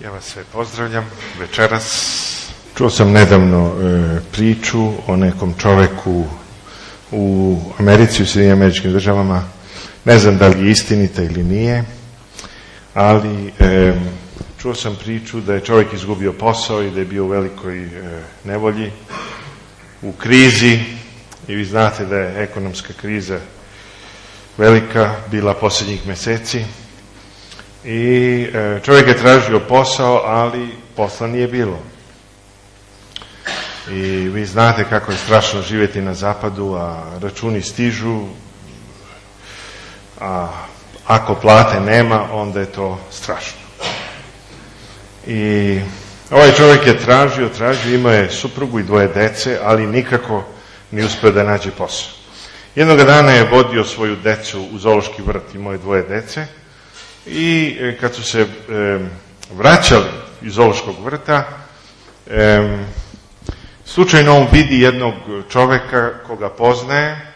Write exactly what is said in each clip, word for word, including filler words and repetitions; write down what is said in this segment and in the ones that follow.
Ja vas sve pozdravljam večeras. Čuo sam nedavno e, priču o nekom čoveku u Americi, u Sjedinjenim Američkim Državama. Ne znam da li je istinita ili nije, ali e, čuo sam priču da je čovjek izgubio posao i da je bio u velikoj e, nevolji, u krizi. I vi znate da je ekonomska kriza velika bila posljednjih mjeseci. I e, čovjek je tražio posao, ali posla nije bilo. I vi znate kako je strašno živjeti na zapadu, a računi stižu, a ako plate nema, onda je to strašno. I ovaj čovjek je tražio, tražio, imao je suprugu i dvoje dece, ali nikako nije uspio da nađe posao. Jednog dana je vodio svoju decu u zoološki vrt, imao je dvoje dece, i kad su se e, vraćali iz zoološkog vrta, e, slučajno on vidi jednog čovjeka koga poznaje,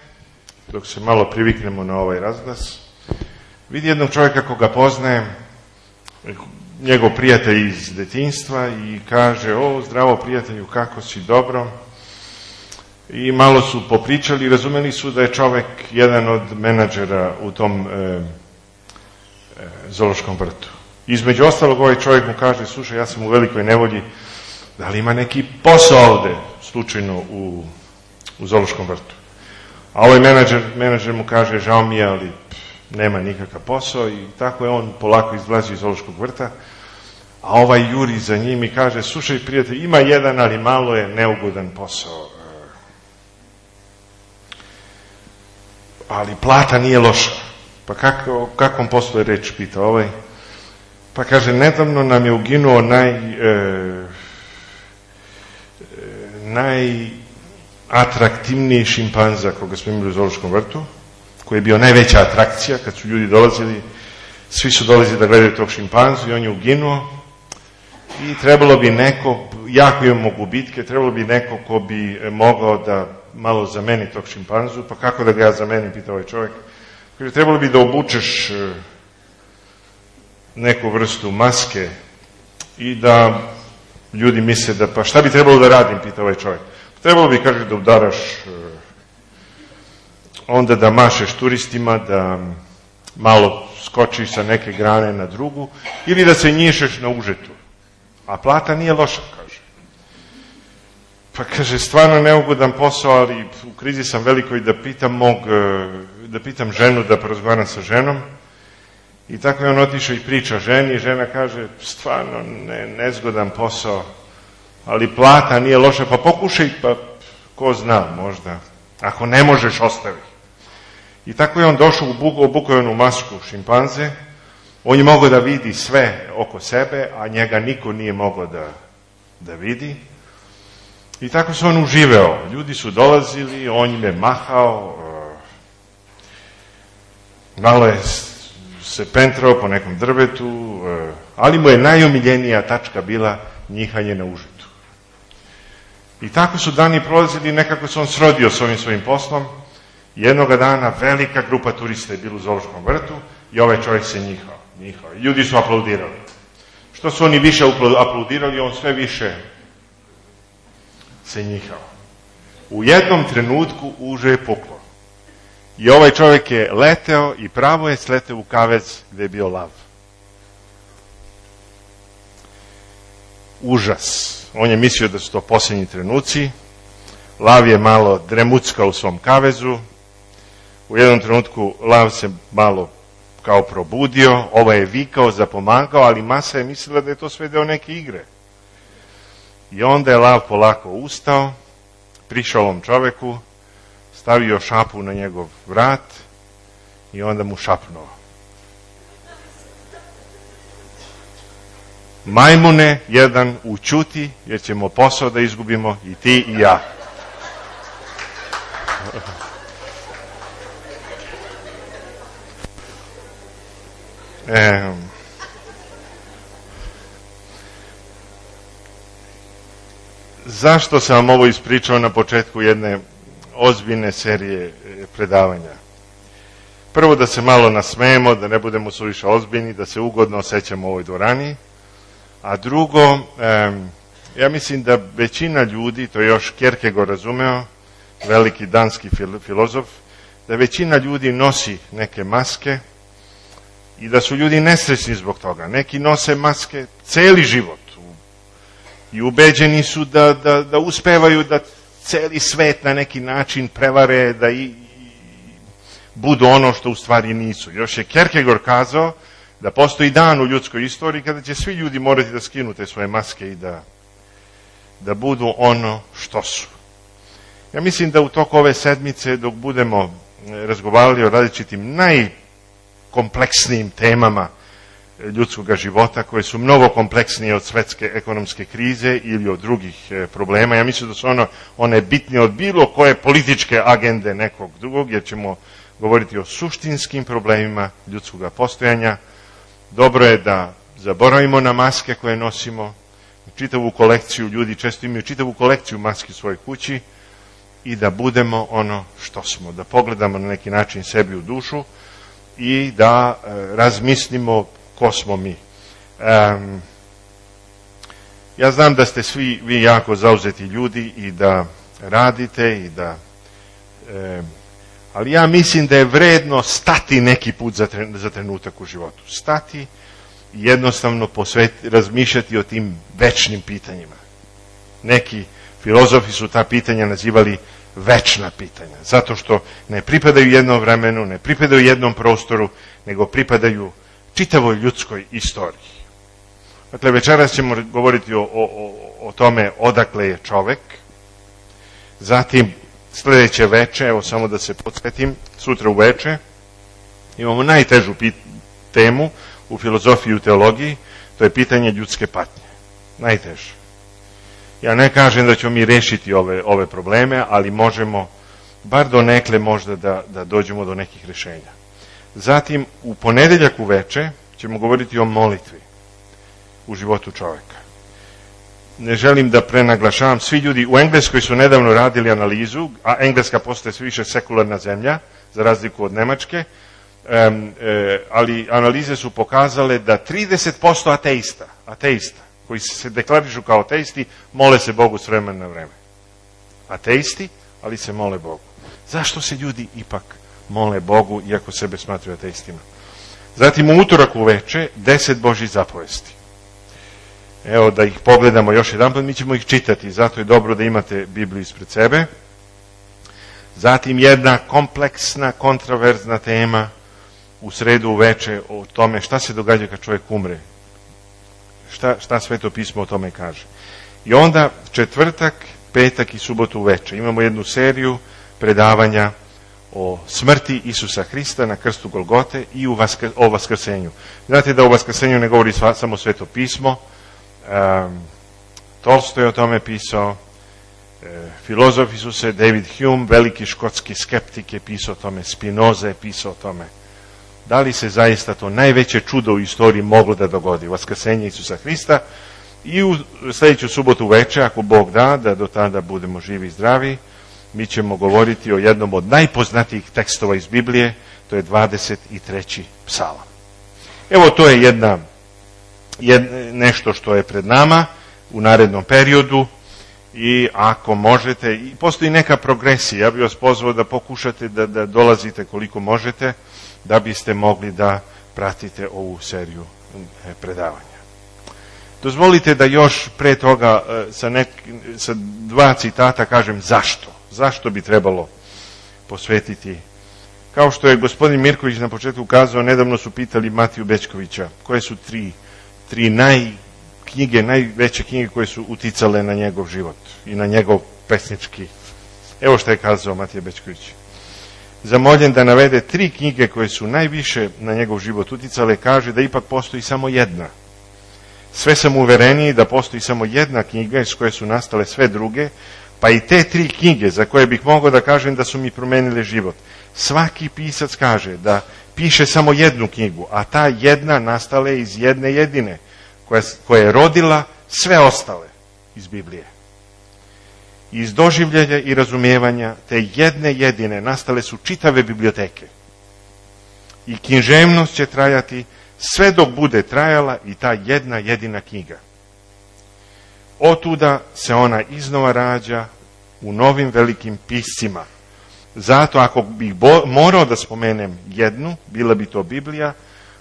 dok se malo priviknemo na ovaj razglas, vidi jednog čovjeka koga poznaje, njegov prijatelj iz detinjstva, i kaže: o, zdravo prijatelju, kako si, dobro? I malo su popričali i razumeli su da je čovjek jedan od menadžera u tom e, zoološkom vrtu. Između ostalog, ovaj čovjek mu kaže: slušaj, ja sam u velikoj nevolji, da li ima neki posao ovdje slučajno u, u zoološkom vrtu? A ovaj menadžer, menadžer mu kaže: žao mi je, ali pff, nema nikakav posao. I tako je on polako izlazi iz zoološkog vrta, a ovaj juri za njim i kaže: slušaj prijatelj, ima jedan, ali malo je neugodan posao, ali plata nije loša. Pa kako, kakvom poslu je reč, pita ovaj? Pa kaže: nedavno nam je uginuo naj, e, najatraktivniji šimpanza koga smo imali u zoološkom vrtu, koji je bio najveća atrakcija kad su ljudi dolazili, svi su dolazili da gledaju tog šimpanzu, i on je uginuo. I trebalo bi neko, jako imamo gubitke, trebalo bi neko ko bi mogao da malo zameni tog šimpanzu. Pa kako da ga ja zamenim, pita ovaj čovjek? Kaže: trebalo bi da obučeš neku vrstu maske i da ljudi misle da, pa šta bi trebalo da radim, pita ovaj čovjek. Trebalo bi, kaže, da udaraš, onda da mašeš turistima, da malo skočiš sa neke grane na drugu, ili da se njišeš na užetu. A plata nije loša, kaže. Pa kaže: stvarno neugodan posao, ali u krizi sam velikoj, da pitam mog, da pitam ženu, da porazgovaram sa ženom. I tako je on otišao i priča ženi, i žena kaže: stvarno ne, nezgodan posao, ali plata nije loša, pa pokušaj, pa ko zna, možda, ako ne možeš, ostavi. I tako je on došao, obukao onu masku šimpanze. On je mogao da vidi sve oko sebe, a njega niko nije mogao da, da vidi. I tako se on uživao. Ljudi su dolazili, on im je mahao, malo je se pentrao po nekom drvetu, ali mu je najomiljenija tačka bila njihanje na užetu. I tako su dani prolazili, nekako se on srodio s ovim svojim poslom. Jednoga dana velika grupa turista je bila u zoološkom vrtu i ovaj čovjek se njihao. njihao. Ljudi su aplaudirali. Što su oni više aplaudirali, on sve više se njihao. U jednom trenutku uže je puklo. I ovaj čovjek je leteo i pravo je sleteo u kavez gdje je bio lav. Užas. On je mislio da su to posljednji trenuci. Lav je malo dremuckao u svom kavezu. U jednom trenutku lav se malo kao probudio. Ovaj je vikao, zapomagao, ali masa je mislila da je to sve deo neke igre. I onda je lav polako ustao, prišao ovom čoveku, stavio šapu na njegov vrat i onda mu šapnuo: majmune jedan, ućuti, jer ćemo posao da izgubimo, i ti i ja. E, zašto sam vam ovo ispričao na početku jedne ozbiljne serije predavanja? Prvo, da se malo nasmejemo, da ne budemo suviše ozbiljni, da se ugodno osjećamo u ovoj dvorani, A drugo, ja mislim da većina ljudi, to je još Kierkegaard razumeo, veliki danski filozof, da većina ljudi nosi neke maske i da su ljudi nesrećni zbog toga. Neki nose maske celi život i ubeđeni su da, da, da uspevaju da celi svet na neki način prevare, da i, i budu ono što u stvari nisu. Još je Kierkegaard kazao da postoji dan u ljudskoj istoriji kada će svi ljudi morati da skinu te svoje maske i da, da budu ono što su. Ja mislim da u toku ove sedmice, dok budemo razgovarali o različitim najkompleksnijim temama ljudskog života, koje su mnogo kompleksnije od svetske ekonomske krize ili od drugih problema, ja mislim da su ono, one bitnije od bilo koje političke agende nekog drugog, jer ćemo govoriti o suštinskim problemima ljudskog postojanja. Dobro je da zaboravimo na maske koje nosimo, čitavu kolekciju, ljudi često imaju čitavu kolekciju maski u svojoj kući, i da budemo ono što smo, da pogledamo na neki način sebi u dušu i da e, razmislimo ko smo mi. Um, ja znam da ste svi vi jako zauzeti ljudi i da radite i da e, ali ja mislim da je vredno stati neki put za, tre, za trenutak u životu. Stati i jednostavno posveti, razmišljati o tim večnim pitanjima. Neki filozofi su ta pitanja nazivali večna pitanja, zato što ne pripadaju jednom vremenu, ne pripadaju jednom prostoru, nego pripadaju čitavoj ljudskoj istoriji. Dakle, večeras ćemo govoriti o, o, o tome odakle je čovek, zatim sljedeće veče, evo samo da se podsjetim, sutra u veče imamo najtežu pit, temu u filozofiji i u teologiji, to je pitanje ljudske patnje. Najteže. Ja ne kažem da ćemo mi rešiti ove, ove probleme, ali možemo, bar donekle možda da, da dođemo do nekih rešenja. Zatim, u ponedeljak uveče ćemo govoriti o molitvi u životu čoveka. Ne želim da prenaglašavam, svi ljudi u Engleskoj su nedavno radili analizu, a Engleska postaje sve više sekularna zemlja, za razliku od Nemačke, um, e, ali analize su pokazale da trideset posto ateista, ateista, koji se deklarišu kao ateisti, mole se Bogu s vremena na vreme. Ateisti, ali se mole Bogu. Zašto se ljudi ipak mole Bogu, iako sebe smatruju ateistima? Zatim u utorak uveče, deset Božjih zapovesti. Evo da ih pogledamo još jedan put, mi ćemo ih čitati, zato je dobro da imate Bibliju ispred sebe. Zatim jedna kompleksna, kontroverzna tema u sredu uveče o tome šta se događa kad čovjek umre. Šta, šta Sveto pismo o tome kaže. I onda četvrtak, petak i subotu uveče imamo jednu seriju predavanja o smrti Isusa Hrista na krstu Golgote i u vaskr, o vaskrsenju. Znate da o vaskrsenju ne govori sva, samo Sveto pismo. Um, Tolstoj o tome pisao, e, filozofi su se, David Hume, veliki škotski skeptik, je pisao o tome, Spinoza je pisao o tome. Da li se zaista to najveće čudo u istoriji moglo da dogodi, vaskrsenje Isusa Hrista? I u sljedeću subotu veče, ako Bog da, da do tada budemo živi i zdravi, mi ćemo govoriti o jednom od najpoznatijih tekstova iz Biblije, to je dvadeset treći psalam. Evo, to je jedna, jed, nešto što je pred nama u narednom periodu i ako možete, i postoji neka progresija, ja bih vas pozvao da pokušate da, da dolazite koliko možete, da biste mogli da pratite ovu seriju predavanja. Dozvolite da još pre toga sa, nek, sa dva citata kažem zašto. Zašto bi trebalo posvetiti. Kao što je gospodin Mirković na početku kazao, nedavno su pitali Matiju Bećkovića koje su tri, tri naj, knjige, najveće knjige koje su uticale na njegov život i na njegov pesnički. Evo što je kazao Matija Bećković. Zamoljen da navede tri knjige koje su najviše na njegov život uticale, kaže da ipak postoji samo jedna. Sve sam uvereniji da postoji samo jedna knjiga iz koje su nastale sve druge, pa i te tri knjige za koje bih mogao da kažem da su mi promenile život. Svaki pisac kaže da piše samo jednu knjigu, a ta jedna nastala je iz jedne jedine, koja, koja je rodila sve ostale iz Biblije. Iz doživljenja i razumijevanja te jedne jedine nastale su čitave biblioteke. I književnost će trajati sve dok bude trajala i ta jedna jedina knjiga. Otuda se ona iznova rađa u novim velikim piscima. Zato ako bih bo- morao da spomenem jednu, bila bi to Biblija,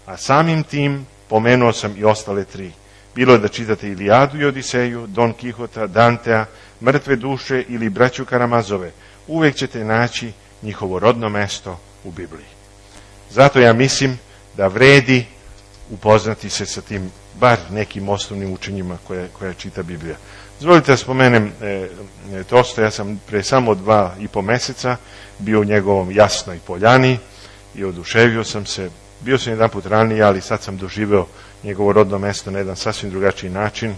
a samim tim pomenuo sam i ostale tri. Bilo je da čitate Ilijadu i Odiseju, Don Kihota, Dantea, Mrtve duše ili Braću Karamazove. Uvek ćete naći njihovo rodno mesto u Bibliji. Zato ja mislim da vredi upoznati se sa tim, bar nekim osnovnim učenjima koje, koje čita Biblija. Dozvolite da spomenem e, Tosto, ja sam pre samo dva i po meseca bio u njegovom Jasnoj poljani i oduševio sam se. Bio sam jedan put ranije, ali sad sam doživeo njegovo rodno mesto na jedan sasvim drugačiji način.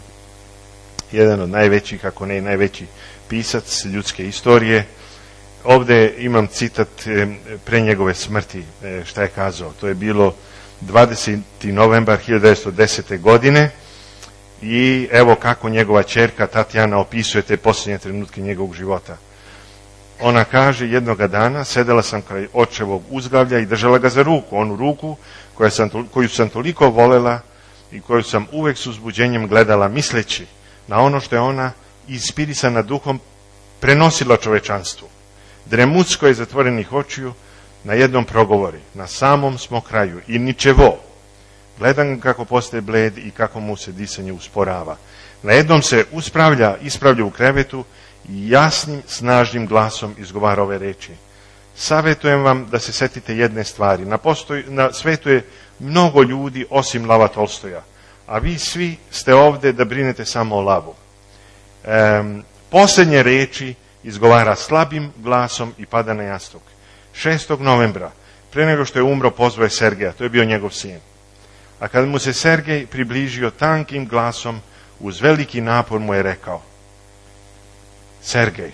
Jedan od najvećih, ako ne i najveći pisac ljudske istorije. Ovde imam citat pre njegove smrti, šta je kazao. To je bilo dvadesetog novembra hiljadu devetsto desete. godine i evo kako njegova ćerka Tatjana opisuje te posljednje trenutke njegovog života. Ona kaže, jednoga dana sedela sam kraj očevog uzglavlja i držala ga za ruku, onu ruku koja sam, koju sam toliko volela i koju sam uvek s uzbuđenjem gledala, misleći na ono što je ona inspirisana duhom prenosila čovečanstvu. Dremutsko je zatvorenih očiju na jednom progovori, na samom smo kraju i ničevo. Gledam kako postaje bled i kako mu se disanje usporava. Na jednom se uspravlja, ispravlja u krevetu i jasnim, snažnim glasom izgovara ove reči. Savetujem vam da se setite jedne stvari. Na, postoj, na svetu je mnogo ljudi osim Lava Tolstoja, a vi svi ste ovde da brinete samo o Lavu. E, posljednje reči izgovara slabim glasom i pada na jastuk. šestog novembra, pre nego što je umro, pozvao je Sergeja, to je bio njegov sin. A kad mu se Sergej približio tankim glasom, uz veliki napor mu je rekao, Sergej,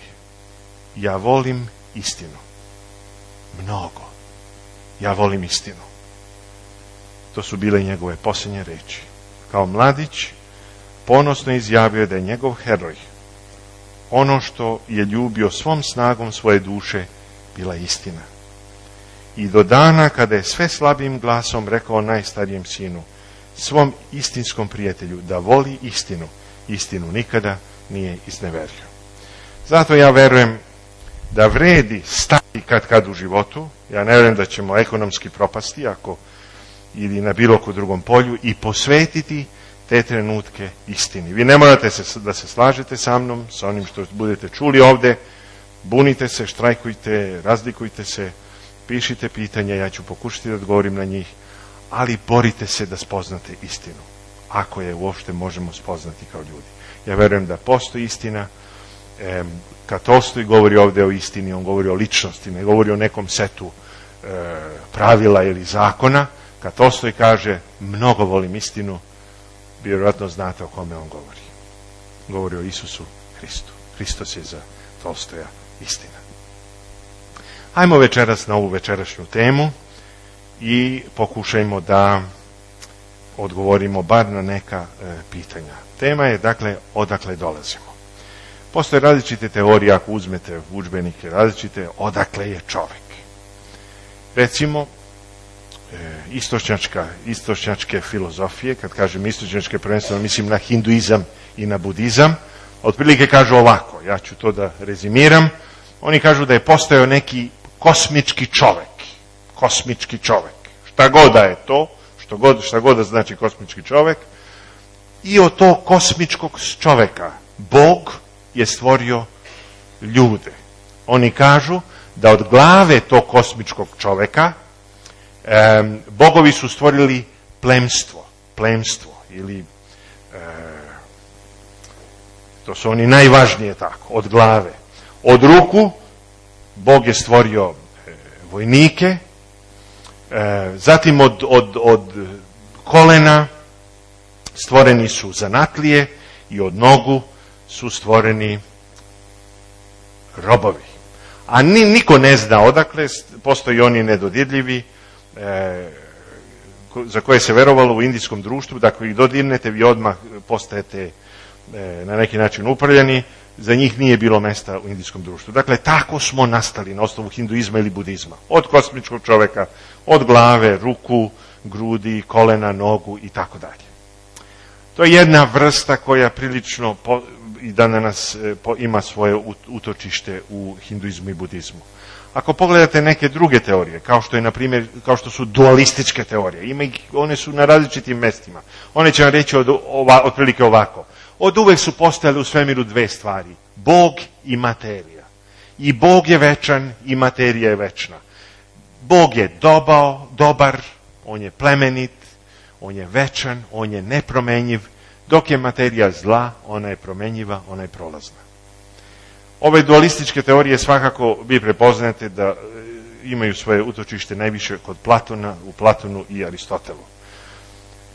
ja volim istinu. Mnogo. Ja volim istinu. To su bile njegove posljednje reči. Kao mladić, ponosno izjavio da je njegov heroj, ono što je ljubio svom snagom svoje duše, bila istina. I do dana kada je sve slabim glasom rekao najstarijem sinu, svom istinskom prijatelju, da voli istinu, istinu nikada nije izneverio. Zato ja verujem da vredi stati kad kad u životu, ja ne verujem da ćemo ekonomski propasti ako ili na bilo kod drugom polju i posvetiti te trenutke istini. Vi ne morate se, da se slažete sa mnom, sa onim što budete čuli ovde, bunite se, štrajkujte, razlikujte se, pišite pitanja, ja ću pokušati da odgovorim na njih, ali borite se da spoznate istinu, ako je uopšte možemo spoznati kao ljudi. Ja verujem da postoji istina. E, kad Tolstoj govori ovde o istini, on govori o ličnosti, ne govori o nekom setu e, pravila ili zakona. Kad Tolstoj kaže mnogo volim istinu, vjerojatno znate o kome on govori. Govori o Isusu Hristu. Hristos je za Tolstoja istina. Hajmo večeras na ovu večerašnju temu i pokušajmo da odgovorimo bar na neka e, pitanja. Tema je, dakle, odakle dolazimo. Postoje različite teorije, ako uzmete udžbenike različite, odakle je čovek. Recimo, e, istočnjačka, istočnjačke filozofije, kad kažem istočnjačke, prvenstveno mislim na hinduizam i na budizam, otprilike kažu ovako, ja ću to da rezimiram, oni kažu da je postojao neki kosmički čovek, kosmički čovek, šta god da je to, što god, šta god da znači kosmički čovek, i od tog kosmičkog čoveka Bog je stvorio ljude. Oni kažu da od glave tog kosmičkog čoveka e, bogovi su stvorili plemstvo, plemstvo ili e, to su oni najvažnije tako, od glave. Od ruku Bog je stvorio e, vojnike, e, zatim od, od, od kolena stvoreni su zanatlije i od nogu su stvoreni robovi. A ni, niko ne zna odakle, postoji oni nedodirljivi, e, za koje se verovalo u indijskom društvu, da ako ih dodirnete, vi odmah postajete e, na neki način uprljani, za njih nije bilo mesta u indijskom društvu. Dakle, tako smo nastali na osnovu hinduizma ili budizma. Od kosmičkog čoveka, od glave, ruku, grudi, kolena, nogu i tako dalje. To je jedna vrsta koja prilično po, i danas po, ima svoje utočište u hinduizmu i budizmu. Ako pogledate neke druge teorije, kao što je na primjer, kao što su dualističke teorije, ima ih, one su na različitim mestima. One će vam reći od, ova, otprilike ovako. Od uvek su postojale u svemiru dve stvari, Bog i materija. I Bog je večan i materija je večna. Bog je dobao, dobar, on je plemenit, on je večan, on je nepromenjiv, dok je materija zla, ona je promenjiva, ona je prolazna. Ove dualističke teorije svakako vi prepoznate da imaju svoje utočište najviše kod Platona, u Platonu i Aristotelu.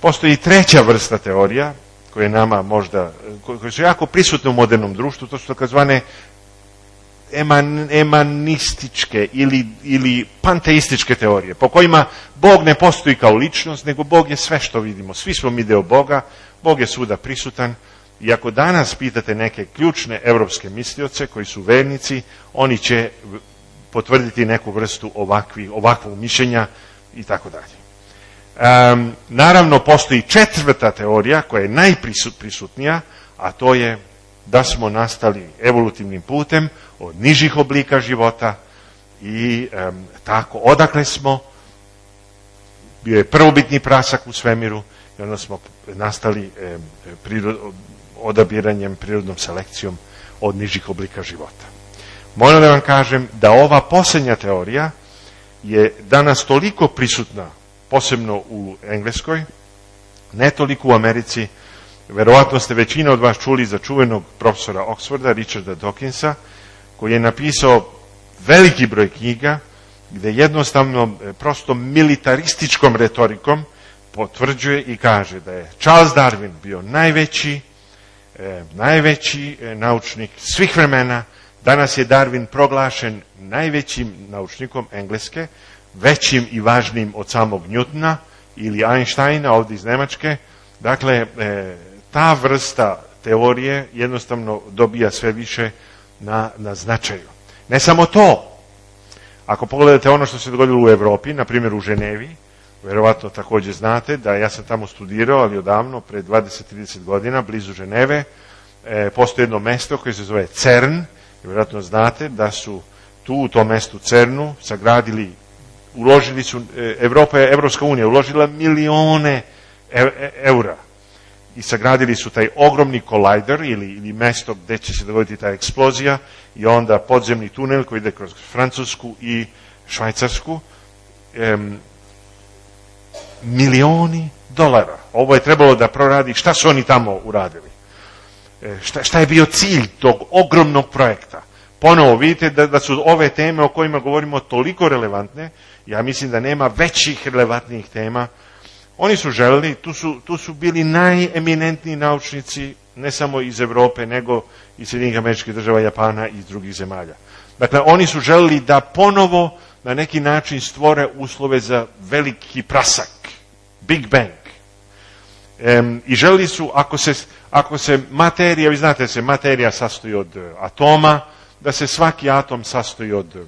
Postoji i treća vrsta teorija, koje nama možda, koje su jako prisutne u modernom društvu, to su takozvane eman, emanističke ili, ili panteističke teorije, po kojima Bog ne postoji kao ličnost, nego Bog je sve što vidimo. Svi smo mi deo Boga, Bog je svuda prisutan. I ako danas pitate neke ključne evropske mislioce koji su vernici, oni će potvrditi neku vrstu ovakvi, ovakvog mišljenja i tako dalje. Um, naravno, postoji četvrta teorija koja je najprisutnija, a to je da smo nastali evolutivnim putem od nižih oblika života i um, tako, odakle smo, bio je prvobitni prasak u svemiru i onda smo nastali um, prirod, odabiranjem, prirodnom selekcijom od nižih oblika života. Moram da vam kažem da ova posljednja teorija je danas toliko prisutna, posebno u Engleskoj, ne toliko u Americi. Verovatno ste većina od vas čuli za čuvenog profesora Oxforda, Richarda Dawkinsa, koji je napisao veliki broj knjiga gde jednostavno prosto militarističkom retorikom potvrđuje i kaže da je Charles Darwin bio najveći E, najveći e, naučnik svih vremena. Danas je Darwin proglašen najvećim naučnikom Engleske, većim i važnijim od samog Newtona ili Einsteina ovdje iz Nemačke. Dakle, e, ta vrsta teorije jednostavno dobija sve više na, na značaju. Ne samo to. Ako pogledate ono što se dogodilo u Evropi, na primjer u Ženevi, verovatno također znate da ja sam tamo studirao, ali odavno, pre dvadeset do trideset godina, blizu Ženeve, e, postoji jedno mesto koje se zove CERN, i verovatno znate da su tu u tom mestu CERNu sagradili, uložili su, e, Evropa je, Evropska unija uložila milione e, e, eura i sagradili su taj ogromni kolajder ili, ili mesto gde će se dogoditi ta eksplozija i onda podzemni tunel koji ide kroz Francusku i Švajcarsku. E, milioni dolara. Ovo je trebalo da proradi. Šta su oni tamo uradili? E, šta, šta je bio cilj tog ogromnog projekta? Ponovo vidite da, da su ove teme o kojima govorimo toliko relevantne. Ja mislim da nema većih relevantnijih tema. Oni su želeli, tu su, tu su bili najeminentniji naučnici, ne samo iz Evrope, nego iz Sjedinjenih Američkih Država, Japana i iz drugih zemalja. Dakle, oni su želeli da ponovo na neki način stvore uslove za veliki prasak, Big Bang. E, I želili su, ako se, ako se materija, vi znate da se materija sastoji od atoma, da se svaki atom sastoji od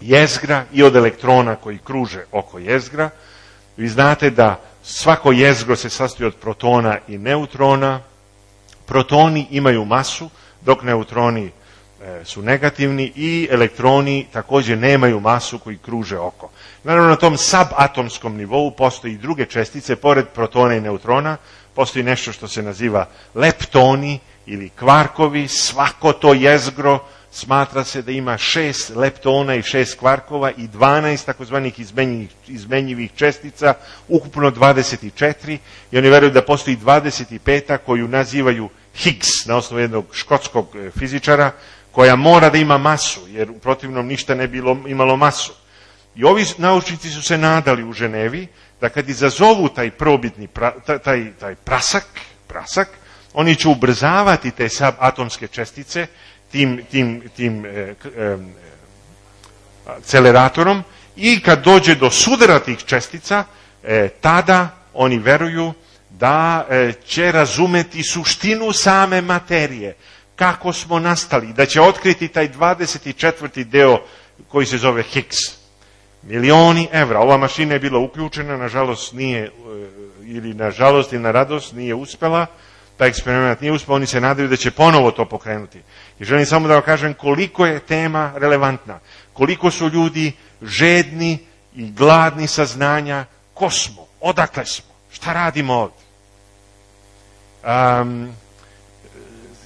jezgra i od elektrona koji kruže oko jezgra. Vi znate da svako jezgro se sastoji od protona i neutrona. Protoni imaju masu, dok neutroni su negativni i elektroni također nemaju masu koji kruže oko. Naravno, na tom subatomskom nivou postoji i druge čestice, pored protona i neutrona, postoji nešto što se naziva leptoni ili kvarkovi. Svako to jezgro smatra se da ima šest leptona i šest kvarkova i dvanaest takozvanih izmenjivih, izmenjivih čestica, ukupno dvadeset četiri, i oni veruju da postoji dvadeset peta koju nazivaju Higgs, na osnovu jednog škotskog fizičara, koja mora da ima masu, jer u protivnom ništa ne bilo imalo masu. I ovi naučnici su se nadali u Ženevi da kad izazovu taj probitni pra, taj, taj prasak, prasak, oni će ubrzavati te subatomske čestice tim, tim, tim e, e, akceleratorom i kad dođe do sudara tih čestica, e, tada oni veruju da e, će razumeti suštinu same materije, kako smo nastali, da će otkriti taj dvadeset četvrti deo koji se zove Higgs. Milioni evra. Ova mašina je bila uključena, nažalost nije ili na žalost ili na radost nije uspela, taj eksperiment nije uspeo, oni se nadaju da će ponovo to pokrenuti. I želim samo da vam kažem koliko je tema relevantna, koliko su ljudi žedni i gladni saznanja, ko smo, odakle smo, šta radimo ovdje. Um,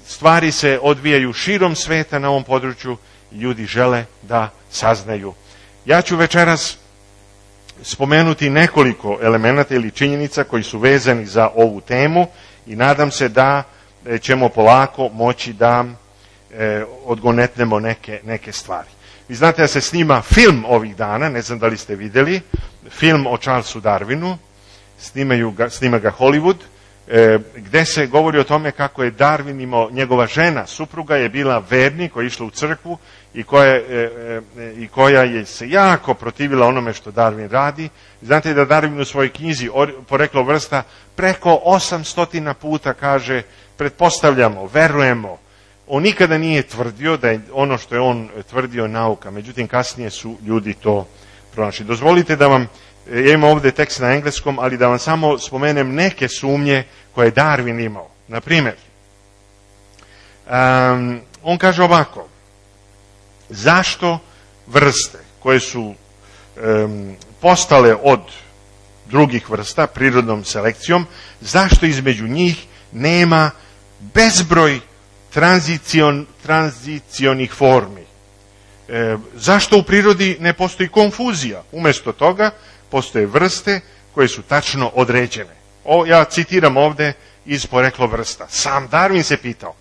stvari se odvijaju širom sveta na ovom području i ljudi žele da saznaju. Ja ću večeras spomenuti nekoliko elemenata ili činjenica koji su vezani za ovu temu i nadam se da ćemo polako moći da e, odgonetnemo neke, neke stvari. Vi znate da se snima film ovih dana, ne znam da li ste vidjeli, film o Charlesu Darwinu, snimaju ga, snima ga Hollywood, e, gde se govori o tome kako je Darwin imao, njegova žena, supruga je bila vernik, koja je išla u crkvu i koja, e, e, i koja je se jako protivila onome što Darwin radi. Znate da Darwin u svojoj knjizi Poreklo vrsta preko osamstotina puta kaže, pretpostavljamo, verujemo. On nikada nije tvrdio da je ono što je on tvrdio nauka, međutim kasnije su ljudi to pronašli. Dozvolite da vam, ja imam ovdje tekst na engleskom, ali da vam samo spomenem neke sumnje koje je Darwin imao. Na primjer, um, on kaže ovako, zašto vrste koje su um, postale od drugih vrsta prirodnom selekcijom, zašto između njih nema bezbroj tranzicion, tranzicionih formi? E, zašto u prirodi ne postoji konfuzija? Umjesto toga postoje vrste koje su tačno određene. O, ja citiram ovdje iz Poreklo vrsta. Sam Darwin se pitao.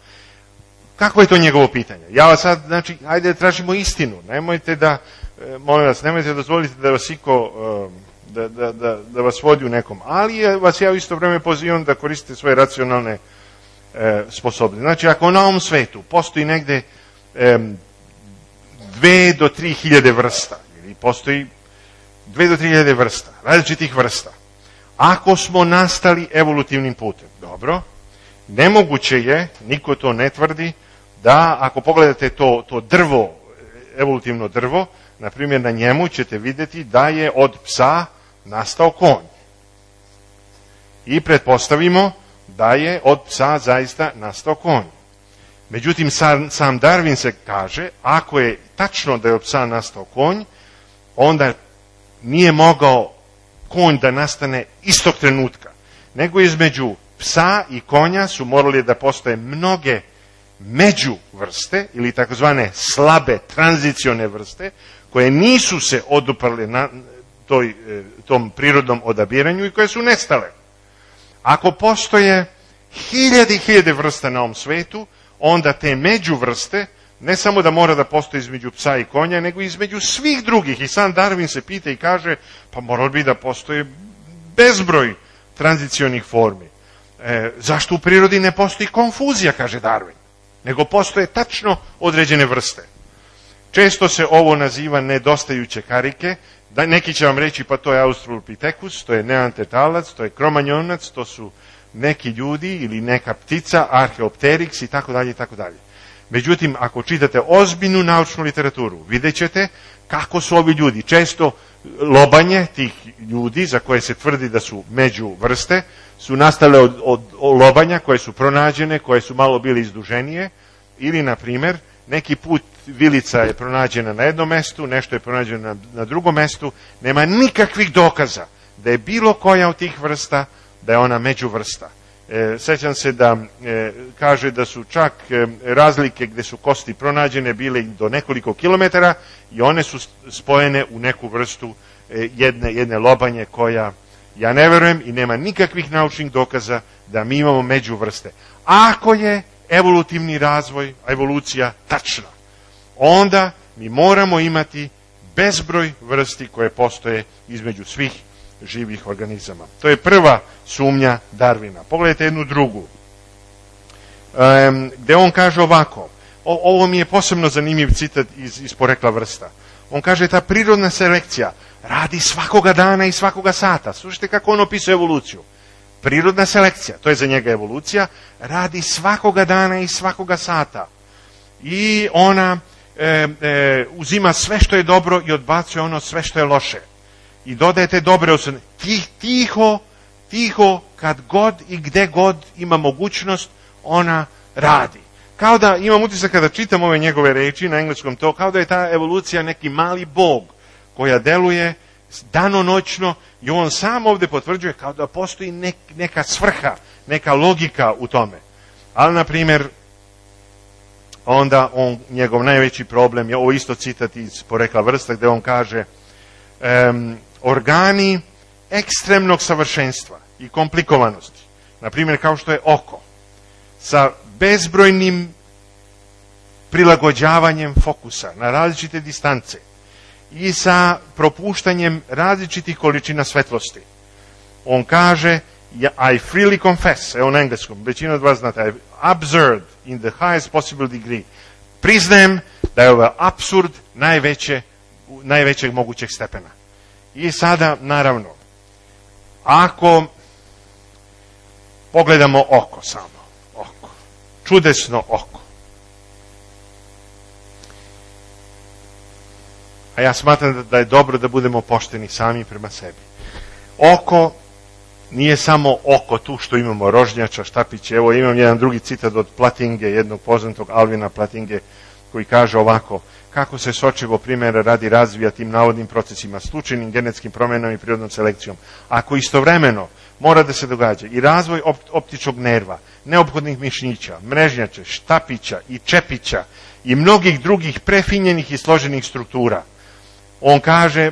Kako je to njegovo pitanje? Ja vas sad, znači, ajde tražimo istinu. Nemojte da, molim vas, nemojte dozvoliti da vas iko, da, da, da, da vas vodi u nekom. Ali vas ja u isto vrijeme pozivam da koristite svoje racionalne e, sposobnosti. Znači, ako na ovom svetu postoji negde e, dve do tri hiljade vrsta, ili postoji dve do tri hiljade vrsta, različitih vrsta, ako smo nastali evolutivnim putem, dobro, nemoguće je, niko to ne tvrdi, da ako pogledate to, to drvo, evolutivno drvo, na primjer na njemu ćete vidjeti da je od psa nastao konj. I pretpostavimo da je od psa zaista nastao konj. Međutim, sam, sam Darwin se kaže, ako je tačno da je od psa nastao konj, onda nije mogao konj da nastane istog trenutka, nego između psa i konja su morali da postoje mnoge međuvrste ili takozvane slabe tranzicione vrste koje nisu se oduprle na toj, tom prirodnom odabiranju i koje su nestale. Ako postoje hiljade i hiljade vrsta na ovom svetu, onda te međuvrste ne samo da mora da postoji između psa i konja, nego između svih drugih. I sam Darwin se pita i kaže, pa moralo bi da postoje bezbroj tranzicionih formi. E, zašto u prirodi ne postoji konfuzija, kaže Darwin, nego postoje tačno određene vrste. Često se ovo naziva nedostajuće karike. Da, neki će vam reći, pa to je Australopithecus, to je neandertalac, to je kromanjonac, to su neki ljudi ili neka ptica, Archaeopteryx i tako dalje i tako dalje. Međutim, ako čitate ozbiljnu naučnu literaturu, vidjet ćete kako su ovi ljudi. Često lobanje tih ljudi, za koje se tvrdi da su među vrste, su nastale od, od, od lobanja koje su pronađene, koje su malo bile izduženije, ili, na primjer, neki put vilica je pronađena na jednom mestu, nešto je pronađeno na, na drugom mestu, nema nikakvih dokaza da je bilo koja od tih vrsta, da je ona međuvrsta. E, sećam se da e, kaže da su čak e, razlike gde su kosti pronađene bile do nekoliko kilometara i one su spojene u neku vrstu e, jedne, jedne lobanje koja, ja ne verujem i nema nikakvih naučnih dokaza da mi imamo međuvrste. Ako je evolutivni razvoj, evolucija tačna, onda mi moramo imati bezbroj vrsti koje postoje između svih živih organizama. To je prva sumnja Darwina. Pogledajte jednu drugu, um, gde on kaže ovako, o, ovo mi je posebno zanimljiv citat iz, iz Porekla vrsta. On kaže, ta prirodna selekcija radi svakoga dana i svakoga sata. Slušajte kako on opisuje evoluciju. Prirodna selekcija, to je za njega evolucija, radi svakoga dana i svakoga sata. I ona e, e, uzima sve što je dobro i odbacuje ono sve što je loše. I dodajete dobre osnovne. Tih, tiho, tiho, kad god i gde god ima mogućnost, ona radi. Kao da, imam utisak kada čitam ove njegove reči na engleskom to, kao da je ta evolucija neki mali bog koja deluje danonoćno i on sam ovdje potvrđuje kao da postoji nek, neka svrha, neka logika u tome. Ali, na primjer, onda on, njegov najveći problem je, ovo isto citat iz Porekla vrsta, gdje on kaže um, organi ekstremnog savršenstva i komplikovanosti, na primjer kao što je oko, sa bezbrojnim prilagođavanjem fokusa na različite distance i sa propuštanjem različitih količina svetlosti. On kaže, I freely confess, evo na engleskom, većina od vas znate, absurd in the highest possible degree. Priznajem da je ovo apsurd najveće, najvećeg mogućeg stepena. I sada, naravno, ako pogledamo oko samo, oko, čudesno oko. A ja smatram da je dobro da budemo pošteni sami prema sebi. Oko nije samo oko tu što imamo rožnjača, štapiće. Evo imam jedan drugi citat od Platinge, jednog poznatog Alvina Platinge, koji kaže ovako: kako se sočivo primjera radi razvija tim navodnim procesima, slučajnim genetskim promjenama i prirodnom selekcijom, ako istovremeno mora da se događa i razvoj optičkog nerva, neophodnih mišića, mrežnjača, štapića i čepića i mnogih drugih prefinjenih i složenih struktura. On kaže,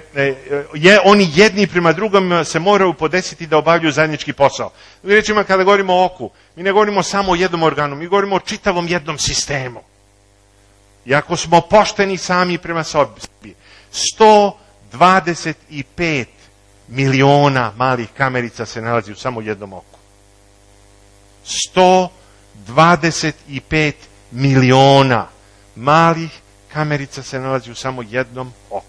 je, oni jedni prema drugom se moraju podesiti da obavljaju zajednički posao. Mi rečimo, kada govorimo o oku, mi ne govorimo samo o jednom organu, mi govorimo o čitavom jednom sistemu. I ako smo pošteni sami prema sebi, sto dvadeset pet miliona malih kamerica se nalazi u samo jednom oku. sto dvadeset pet miliona malih kamerica se nalazi u samo jednom oku.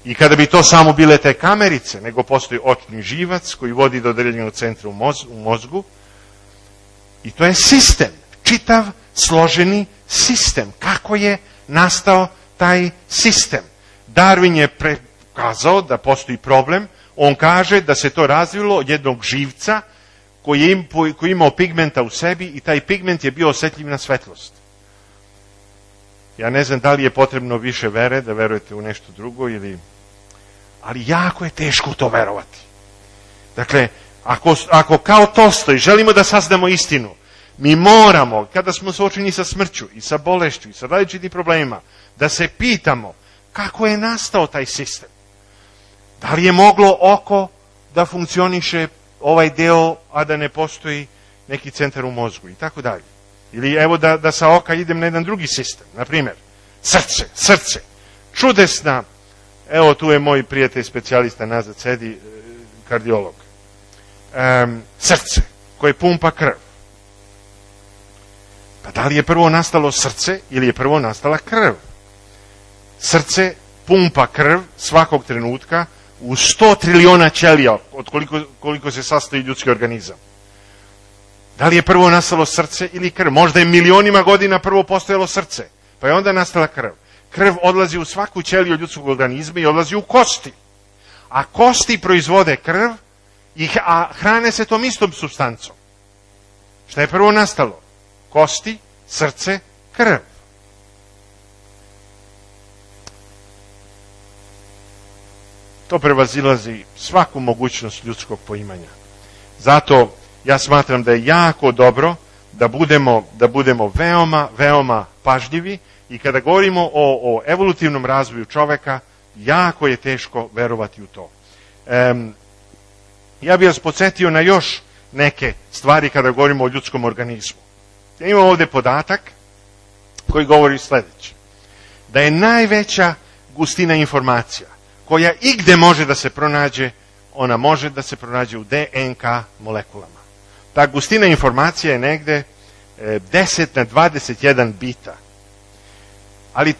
I kada bi to samo bile te kamerice, nego postoji očni živac koji vodi do određenog centra u, moz, u mozgu, i to je sistem, čitav složeni sistem. Kako je nastao taj sistem? Darwin je prekazao da postoji problem. On kaže da se to razvilo od jednog živca koji je, im, koji je imao pigmenta u sebi i taj pigment je bio osjetljiv na svetlost. Ja ne znam da li je potrebno više vere, da verujete u nešto drugo, ili... ali jako je teško to verovati. Dakle, ako, ako kao Tolstoj želimo da saznamo istinu, mi moramo, kada smo suočeni sa smrću i sa bolešću i sa različitim problemima, da se pitamo kako je nastao taj sistem. Da li je moglo oko da funkcioniše ovaj deo, a da ne postoji neki centar u mozgu i tako dalje. Ili evo da, da sa oka idem na jedan drugi sistem, na primjer, srce, srce, čudesna, evo tu je moj prijatelj specijalista nazad sedi, kardiolog, um, srce koje pumpa krv. Pa da li je prvo nastalo srce ili je prvo nastala krv? Srce pumpa krv svakog trenutka u sto triliona ćelija, od koliko, koliko se sastoji ljudski organizam. Da li je prvo nastalo srce ili krv? Možda je milionima godina prvo postojalo srce, pa je onda nastala krv. Krv odlazi u svaku ćeliju ljudskog organizma i odlazi u kosti. A kosti proizvode krv, a hrane se tom istom supstancom. Šta je prvo nastalo? Kosti, srce, krv. To prevazilazi svaku mogućnost ljudskog poimanja. Zato ja smatram da je jako dobro da budemo, da budemo veoma, veoma pažljivi i kada govorimo o, o evolutivnom razvoju čoveka, jako je teško verovati u to. Um, ja bih vas podsjetio na još neke stvari kada govorimo o ljudskom organizmu. Ja imam ovdje podatak koji govori sljedeće. Da je najveća gustina informacija koja igde može da se pronađe, ona može da se pronađe u D N K molekulama. Ta gustina informacija je negde deset na dvadeset jedan bita. Ali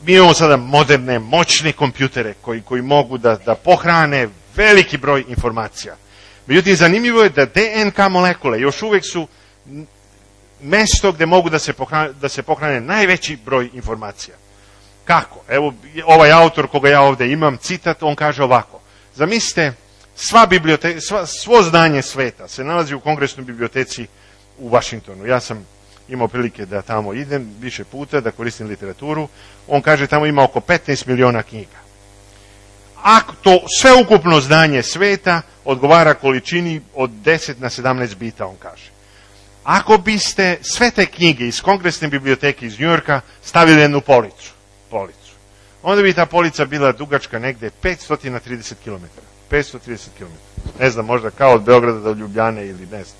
mi imamo sada moderne, moćne kompjutere koji, koji mogu da, da pohrane veliki broj informacija. Međutim, zanimljivo je da D N K molekule još uvijek su mesto gdje mogu da se pohrane, da se pohrane najveći broj informacija. Kako? Evo, ovaj autor koga ja ovdje imam, citat, on kaže ovako. Zamislite Sva biblioteka, sva, svo znanje sveta se nalazi u Kongresnoj biblioteci u Vašingtonu. Ja sam imao prilike da tamo idem više puta, da koristim literaturu. On kaže tamo ima oko petnaest miliona knjiga. Ako to sveukupno znanje sveta odgovara količini od deset na sedamnaest bita, on kaže. Ako biste sve te knjige iz Kongresne biblioteke iz Njujorka stavili jednu policu, policu, onda bi ta polica bila dugačka negde petsto trideset kilometara. petsto trideset kilometara. Ne znam, možda kao od Beograda do Ljubljane ili ne znam.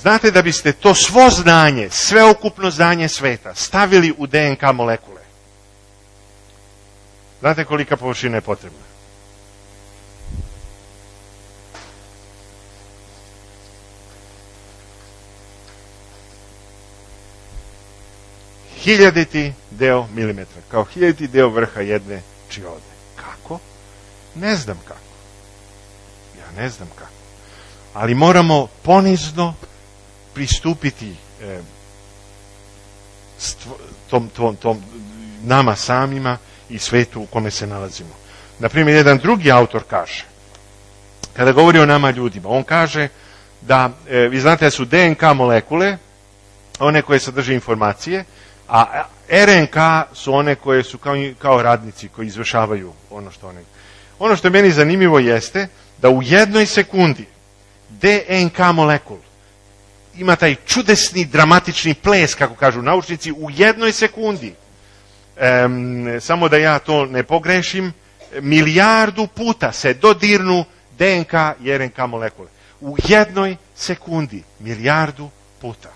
Znate da biste to svo znanje, sveukupno znanje sveta, stavili u D N K molekule. Znate kolika površina je potrebna? Hiljaditi deo milimetra, kao hiljaditi deo vrha jedne čiode. Kako? Ne znam kako. Ja ne znam kako. Ali moramo ponizno pristupiti eh, stvo, tom, tom, tom, nama samima i svetu u kome se nalazimo. Naprimjer, jedan drugi autor kaže, kada govori o nama ljudima, on kaže da, eh, vi znate da su D N K molekule, one koje sadrže informacije, a R N K su one koje su kao, kao radnici koji izvršavaju ono što one. Ono što je meni zanimljivo jeste da u jednoj sekundi D N K molekul ima taj čudesni, dramatični ples, kako kažu naučnici, u jednoj sekundi. Um, samo da ja to ne pogrešim, milijardu puta se dodirnu D N K i R N K molekule. U jednoj sekundi, milijardu puta.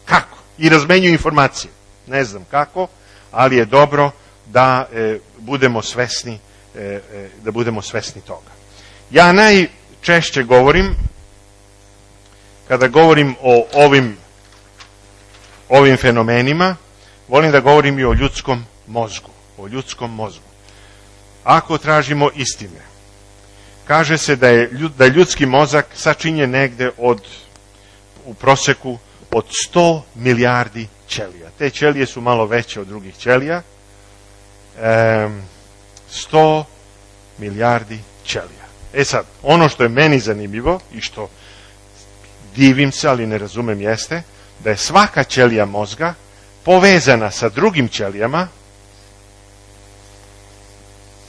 Kako? I razmenjuju informacije. Ne znam kako, ali je dobro da e, budemo svesni, e, e, da budemo svesni toga. Ja najčešće govorim, kada govorim o ovim, ovim fenomenima, volim da govorim i o ljudskom mozgu. O ljudskom mozgu. Ako tražimo istine, kaže se da je, da je ljudski mozak sačinjen negde od, u proseku od sto milijardi ćelija. Te ćelije su malo veće od drugih ćelija. E, sto milijardi ćelija. E sad, ono što je meni zanimljivo i što divim se, ali ne razumem, jeste da je svaka ćelija mozga povezana sa drugim ćelijama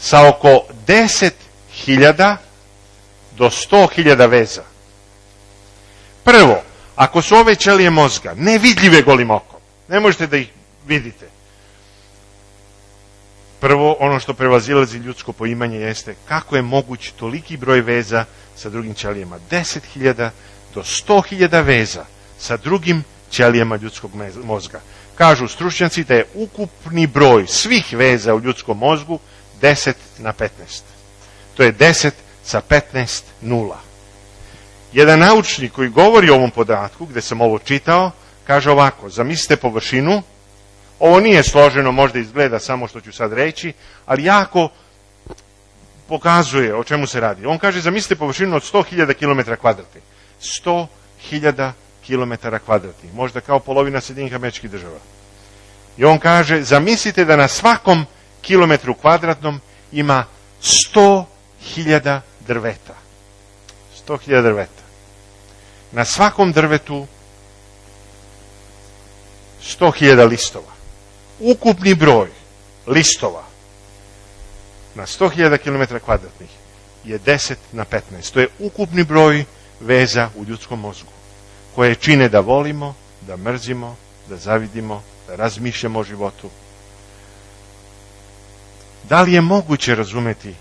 sa oko deset hiljada do sto hiljada veza. Prvo, ako su ove ćelije mozga nevidljive golim okom, ne možete da ih vidite. Prvo, ono što prevazilazi ljudsko poimanje jeste kako je moguć toliki broj veza sa drugim ćelijama. deset hiljada do sto hiljada veza sa drugim ćelijama ljudskog mozga. Kažu stručnjaci da je ukupni broj svih veza u ljudskom mozgu deset na petnaest. To je deset sa petnaest nula. Jedan naučnik koji govori o ovom podatku, gde sam ovo čitao, kaže ovako, zamislite površinu, ovo nije složeno, možda izgleda samo što ću sad reći, ali jako pokazuje o čemu se radi. On kaže, zamislite površinu od sto hiljada kilometara kvadratnih. sto hiljada kilometara kvadratnih, možda kao polovina Sjedinjenih Američkih Država. I on kaže, zamislite da na svakom kilometru kvadratnom ima sto hiljada drveta. sto hiljada drveta. Na svakom drvetu sto hiljada listova. Ukupni broj listova na sto hiljada kilometara kvadratnih je deset na petnaest. To je ukupni broj veza u ljudskom mozgu, koje čine da volimo, da mrzimo, da zavidimo, da razmišljamo o životu. Da li je moguće razumeti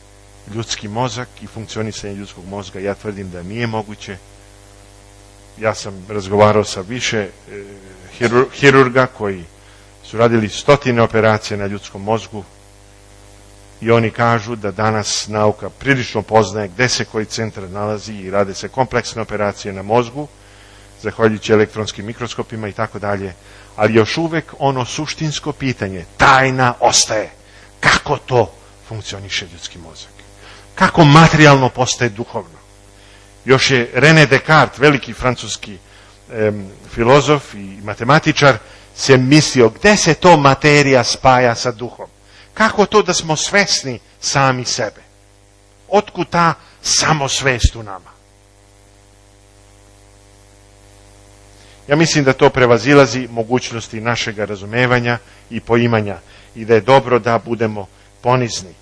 ljudski mozak i funkcionisanje ljudskog mozga? Ja tvrdim da nije moguće. Ja sam razgovarao sa više e, hirur, hirurga koji su radili stotine operacija na ljudskom mozgu i oni kažu da danas nauka prilično poznaje gde se koji centar nalazi i rade se kompleksne operacije na mozgu, zahvaljujući elektronskim mikroskopima i tako dalje, ali još uvek ono suštinsko pitanje, tajna ostaje. Kako to funkcioniše ljudski mozak? Kako materijalno postaje duhovno? Još je René Descartes, veliki francuski em, filozof i matematičar, se mislio gde se to materija spaja sa duhom. Kako to da smo svesni sami sebe? Otkud ta samosvest u nama? Ja mislim da to prevazilazi mogućnosti našeg razumevanja i poimanja i da je dobro da budemo ponizni.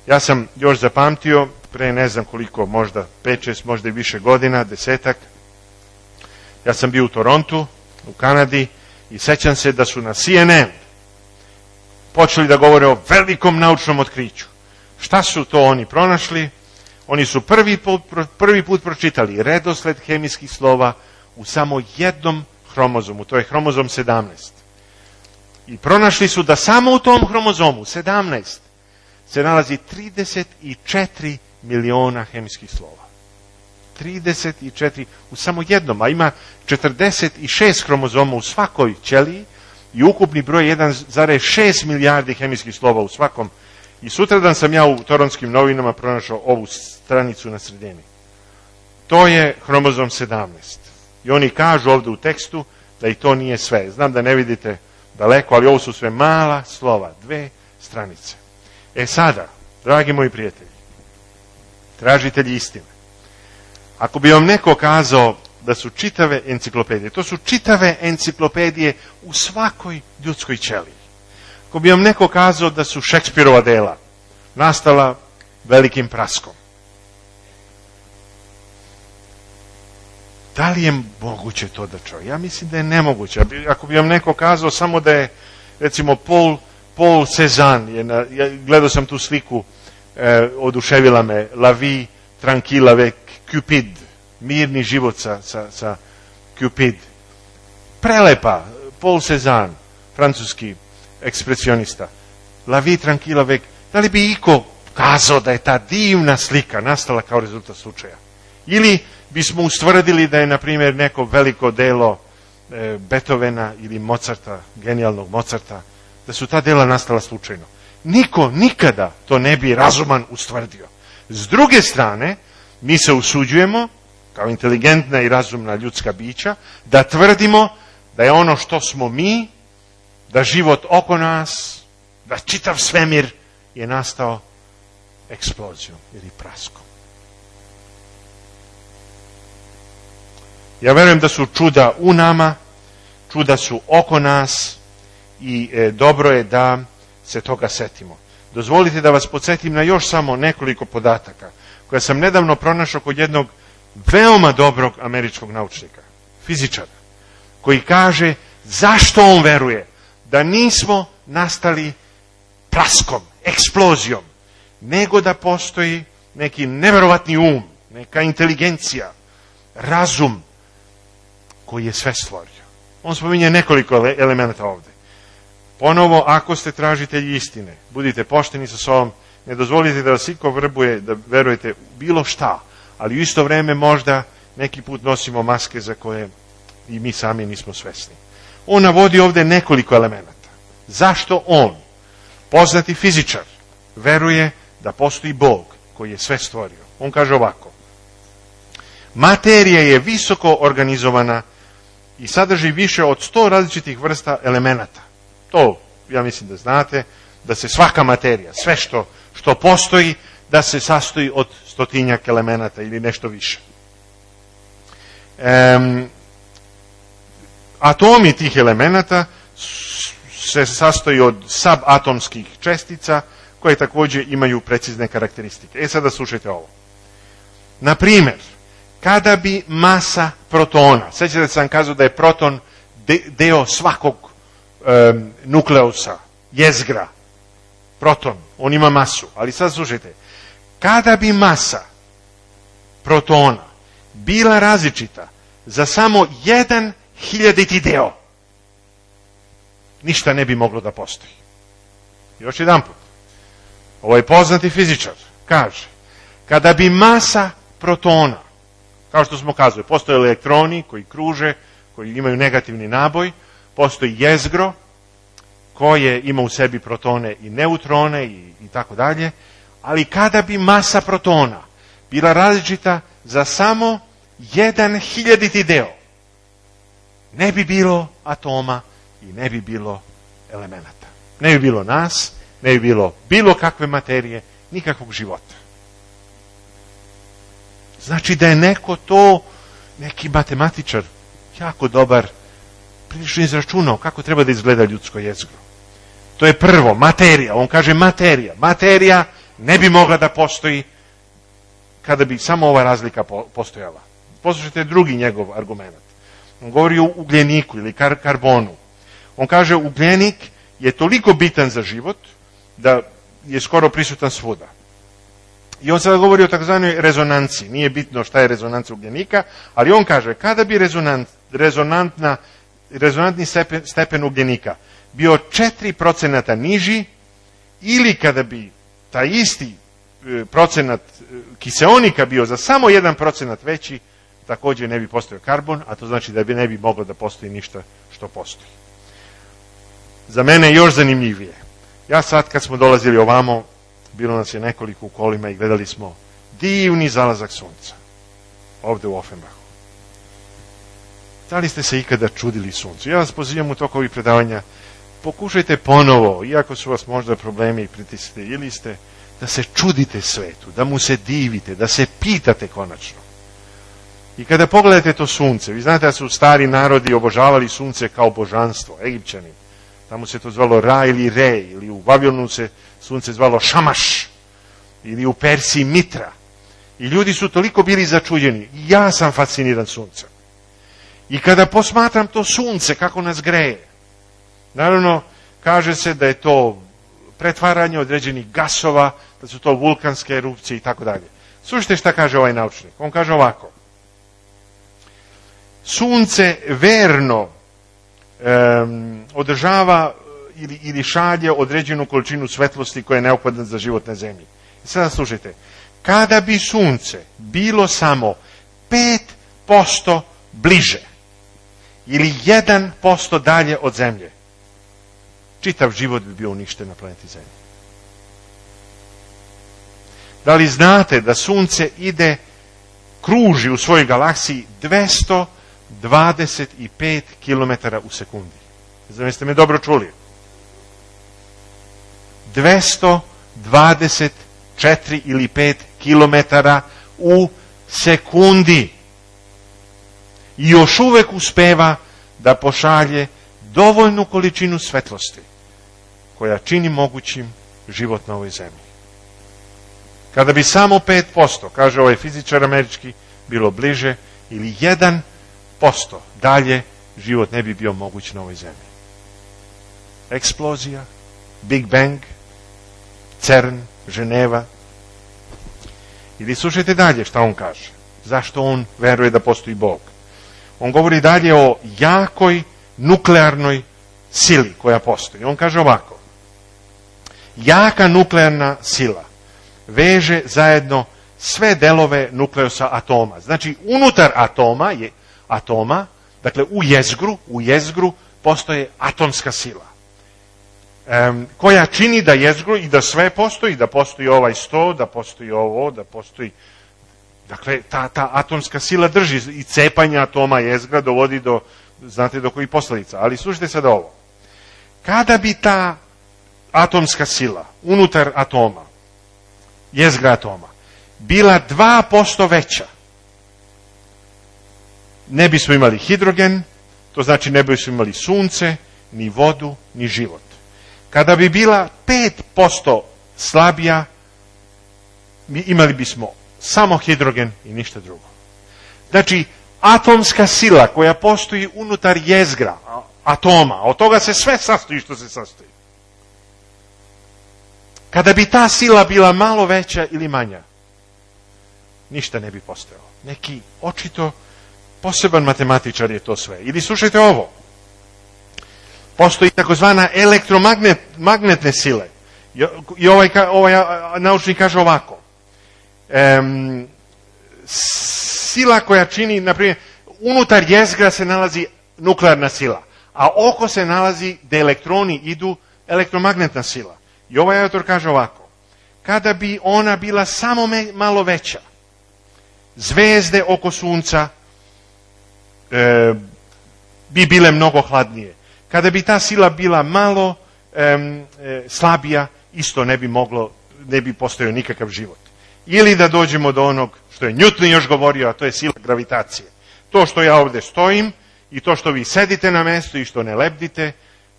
Ja sam još zapamtio, pre ne znam koliko, možda pet, šest, možda i više godina, desetak, ja sam bio u Torontu, u Kanadi, i sećam se da su na C N N počeli da govore o velikom naučnom otkriću. Šta su to oni pronašli? Oni su prvi put, prvi put pročitali redosled hemijskih slova u samo jednom hromozomu, to je hromozom sedamnaest. I pronašli su da samo u tom hromozomu, sedamnaest, se nalazi trideset četiri miliona hemijskih slova. trideset četiri u samo jednom, a ima četrdeset šest hromozoma u svakoj ćeliji i ukupni broj jedan zarez šest milijardi hemijskih slova u svakom. I sutradan sam ja u Toronskim novinama pronašao ovu stranicu na sredini. To je hromozom sedamnaest. I oni kažu ovdje u tekstu da i to nije sve. Znam da ne vidite daleko, ali ovo su sve mala slova, dve stranice. E sada, dragi moji prijatelji, tražitelji istine, ako bi vam neko kazao da su čitave enciklopedije, to su čitave enciklopedije u svakoj ljudskoj ćeliji. Ako bi vam neko kazao da su Šekspirova dela nastala velikim praskom, da li je moguće to da čuje? Ja mislim da je nemoguće. Ako bi vam neko kazao samo da je, recimo, Paul, Paul Cézanne, je na, ja gledao sam tu sliku, eh, oduševila me, La vie tranquille avec Cupid, mirni život sa, sa, sa Cupid. Prelepa, Paul Cézanne, francuski ekspresionista. La vie tranquille avec, da li bi iko kazao da je ta divna slika nastala kao rezultat slučaja? Ili bismo ustvrdili da je, na primjer, neko veliko delo e, Beethovena ili Mozarta, genijalnog Mozarta, da su ta dela nastala slučajno. Niko nikada to ne bi razuman ustvrdio. S druge strane, mi se usuđujemo, kao inteligentna i razumna ljudska bića, da tvrdimo da je ono što smo mi, da život oko nas, da čitav svemir je nastao eksplozijom ili praskom. Ja verujem da su čuda u nama, čuda su oko nas i e, dobro je da se toga setimo. Dozvolite da vas podsjetim na još samo nekoliko podataka koje sam nedavno pronašao kod jednog veoma dobrog američkog naučnika, fizičara, koji kaže zašto on veruje da nismo nastali praskom, eksplozijom, nego da postoji neki neverovatni um, neka inteligencija, razum koji je sve stvorio. On spominje nekoliko elemenata ovdje. Ponovo, ako ste tražitelji istine, budite pošteni sa sobom, ne dozvolite da vas iko vrbuje da verujete bilo šta, ali u isto vrijeme možda neki put nosimo maske za koje i mi sami nismo svesni. On navodi ovdje nekoliko elemenata. Zašto on, poznati fizičar, veruje da postoji Bog koji je sve stvorio? On kaže ovako: materija je visoko organizovana i sadrži više od sto različitih vrsta elemenata. To, ja mislim da znate, da se svaka materija, sve što, što postoji, da se sastoji od stotinjak elemenata ili nešto više. Um, atomi tih elemenata se sastoji od subatomskih čestica koje također imaju precizne karakteristike. E sada slušajte ovo. Na primjer, kada bi masa protona, sjećate sam kazao da je proton de, deo svakog um, nukleusa, jezgra, proton, on ima masu, ali sad slušajte, kada bi masa protona bila različita za samo jedan hiljaditi deo, ništa ne bi moglo da postoji. Još jedan put. Ovo je poznati fizičar. Kaže, kada bi masa protona, kao što smo kazali, postoje elektroni koji kruže, koji imaju negativni naboj, postoji jezgro koje ima u sebi protone i neutrone i, i tako dalje, ali kada bi masa protona bila različita za samo jedan hiljaditi deo, ne bi bilo atoma i ne bi bilo elemenata. Ne bi bilo nas, ne bi bilo bilo kakve materije, nikakvog života. Znači da je neko to, neki matematičar, jako dobar, prilično izračunao kako treba da izgleda ljudsko jezgro. To je prvo, materija. On kaže materija. Materija ne bi mogla da postoji kada bi samo ova razlika postojala. Poslušajte drugi njegov argument. On govori o ugljeniku ili kar, karbonu. On kaže ugljenik je toliko bitan za život da je skoro prisutan svuda. I on sada govori o takozvanoj rezonanci. Nije bitno šta je rezonanca ugljenika, ali on kaže kada bi rezonant, rezonantna, rezonantni stepen, stepen ugljenika bio četiri procenta niži ili kada bi taj isti procenat kiseonika bio za samo jedan procenat veći, također ne bi postojao karbon, a to znači da bi ne bi moglo da postoji ništa što postoji. Za mene je još zanimljivije. Ja sad kad smo dolazili ovamo, bilo nas je nekoliko u kolima i gledali smo divni zalazak sunca. Ovdje u Offenbachu. Da li ste se ikada čudili suncu? Ja vas pozivam u toku ovih predavanja, pokušajte ponovo, iako su vas možda problemi i pritisci, ili ste, da se čudite svetu, da mu se divite, da se pitate konačno. I kada pogledate to sunce, vi znate da su stari narodi obožavali sunce kao božanstvo, Egipćani. Tamo se to zvalo Ra ili Re, ili u Babilonu se sunce zvalo Šamaš, ili u Persiji Mitra. I ljudi su toliko bili začuđeni. Ja sam fasciniran suncem. I kada posmatram to sunce, kako nas greje, naravno, kaže se da je to pretvaranje određenih gasova, da su to vulkanske erupcije i tako dalje. Slušajte šta kaže ovaj naučnik. On kaže ovako. Sunce verno um, održava ili, ili šalje određenu količinu svetlosti koja je neophodna za život na zemlji. I sada slušajte. Kada bi sunce bilo samo pet posto bliže ili jedan posto dalje od zemlje, čitav život bi bio uništen na planeti Zemlji. Da li znate da sunce ide, kruži u svojoj galaksiji dvesta dvadeset pet kilometara u sekundi? Znam, jeste me dobro čuli? dvesta dvadeset četiri ili pet kilometara u sekundi. I još uvek uspeva da pošalje dovoljnu količinu svetlosti koja čini mogućim život na ovoj zemlji. Kada bi samo pet posto, kaže ovaj fizičar američki, bilo bliže ili jedan posto dalje, život ne bi bio moguć na ovoj zemlji. Eksplozija, Big Bang, CERN, Ženeva. Ili slušajte dalje šta on kaže. Zašto on veruje da postoji Bog? On govori dalje o jakoj nuklearnoj sili koja postoji. On kaže ovako. Jaka nuklearna sila veže zajedno sve delove nukleosa atoma. Znači, unutar atoma je atoma, dakle u jezgru, u jezgru postoje atomska sila. Um, koja čini da jezgru i da sve postoji, da postoji ovaj sto, da postoji ovo, da postoji. Dakle, ta, ta atomska sila drži i cepanje atoma jezgra dovodi do, znate, do kojih posljedica. Ali slušajte sad ovo. Kada bi ta atomska sila unutar atoma, jezgra atoma, bila dva posto veća, ne bismo imali hidrogen, to znači ne bismo imali sunce, ni vodu, ni život. Kada bi bila pet posto slabija, imali bismo samo hidrogen i ništa drugo. Znači, atomska sila koja postoji unutar jezgra atoma, od toga se sve sastoji što se sastoji. Kada bi ta sila bila malo veća ili manja, ništa ne bi postojalo. Neki očito poseban matematičar je to sve. Ili slušajte ovo. Postoji takozvana elektromagnetne sile. I ovaj, ovaj naučnik kaže ovako. Um, sila koja čini, na primjer, unutar jezgra se nalazi nuklearna sila, a oko se nalazi da elektroni idu elektromagnetna sila. I ovaj autor kaže ovako. Kada bi ona bila samo me, malo veća, zvezde oko sunca e, bi bile mnogo hladnije. Kada bi ta sila bila malo e, e, slabija, isto ne bi moglo, ne bi postojao nikakav život. ili da dođemo do onog što je Newton još govorio, a to je sila gravitacije. To što ja ovdje stojim i to što vi sedite na mjestu i što ne lebdite,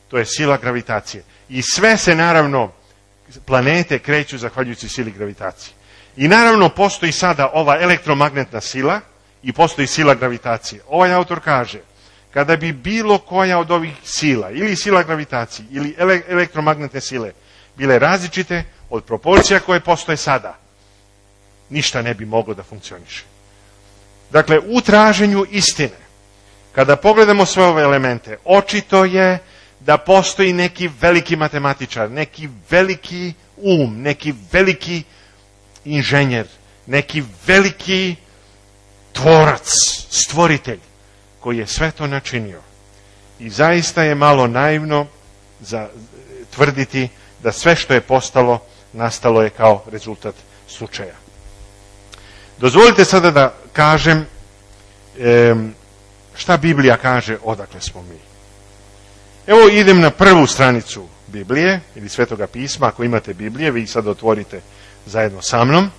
to je sila gravitacije. I sve se naravno, planete kreću zahvaljujući sili gravitacije. I naravno postoji sada ova elektromagnetna sila i postoji sila gravitacije. Ovaj autor kaže, kada bi bilo koja od ovih sila, ili sila gravitacije, ili ele- elektromagnetne sile, bile različite od proporcija koje postoje sada, ništa ne bi moglo da funkcioniše. Dakle, u traženju istine, kada pogledamo sve ove elemente, očito je da postoji neki veliki matematičar, neki veliki um, neki veliki inženjer, neki veliki tvorac, stvoritelj, koji je sve to načinio. I zaista je malo naivno za tvrditi da sve što je postalo, nastalo je kao rezultat slučaja. Dozvolite sada da kažem šta Biblija kaže odakle smo mi. Evo idem na prvu stranicu Biblije ili Svetoga pisma. Ako imate Biblije, vi sad otvorite zajedno sa mnom.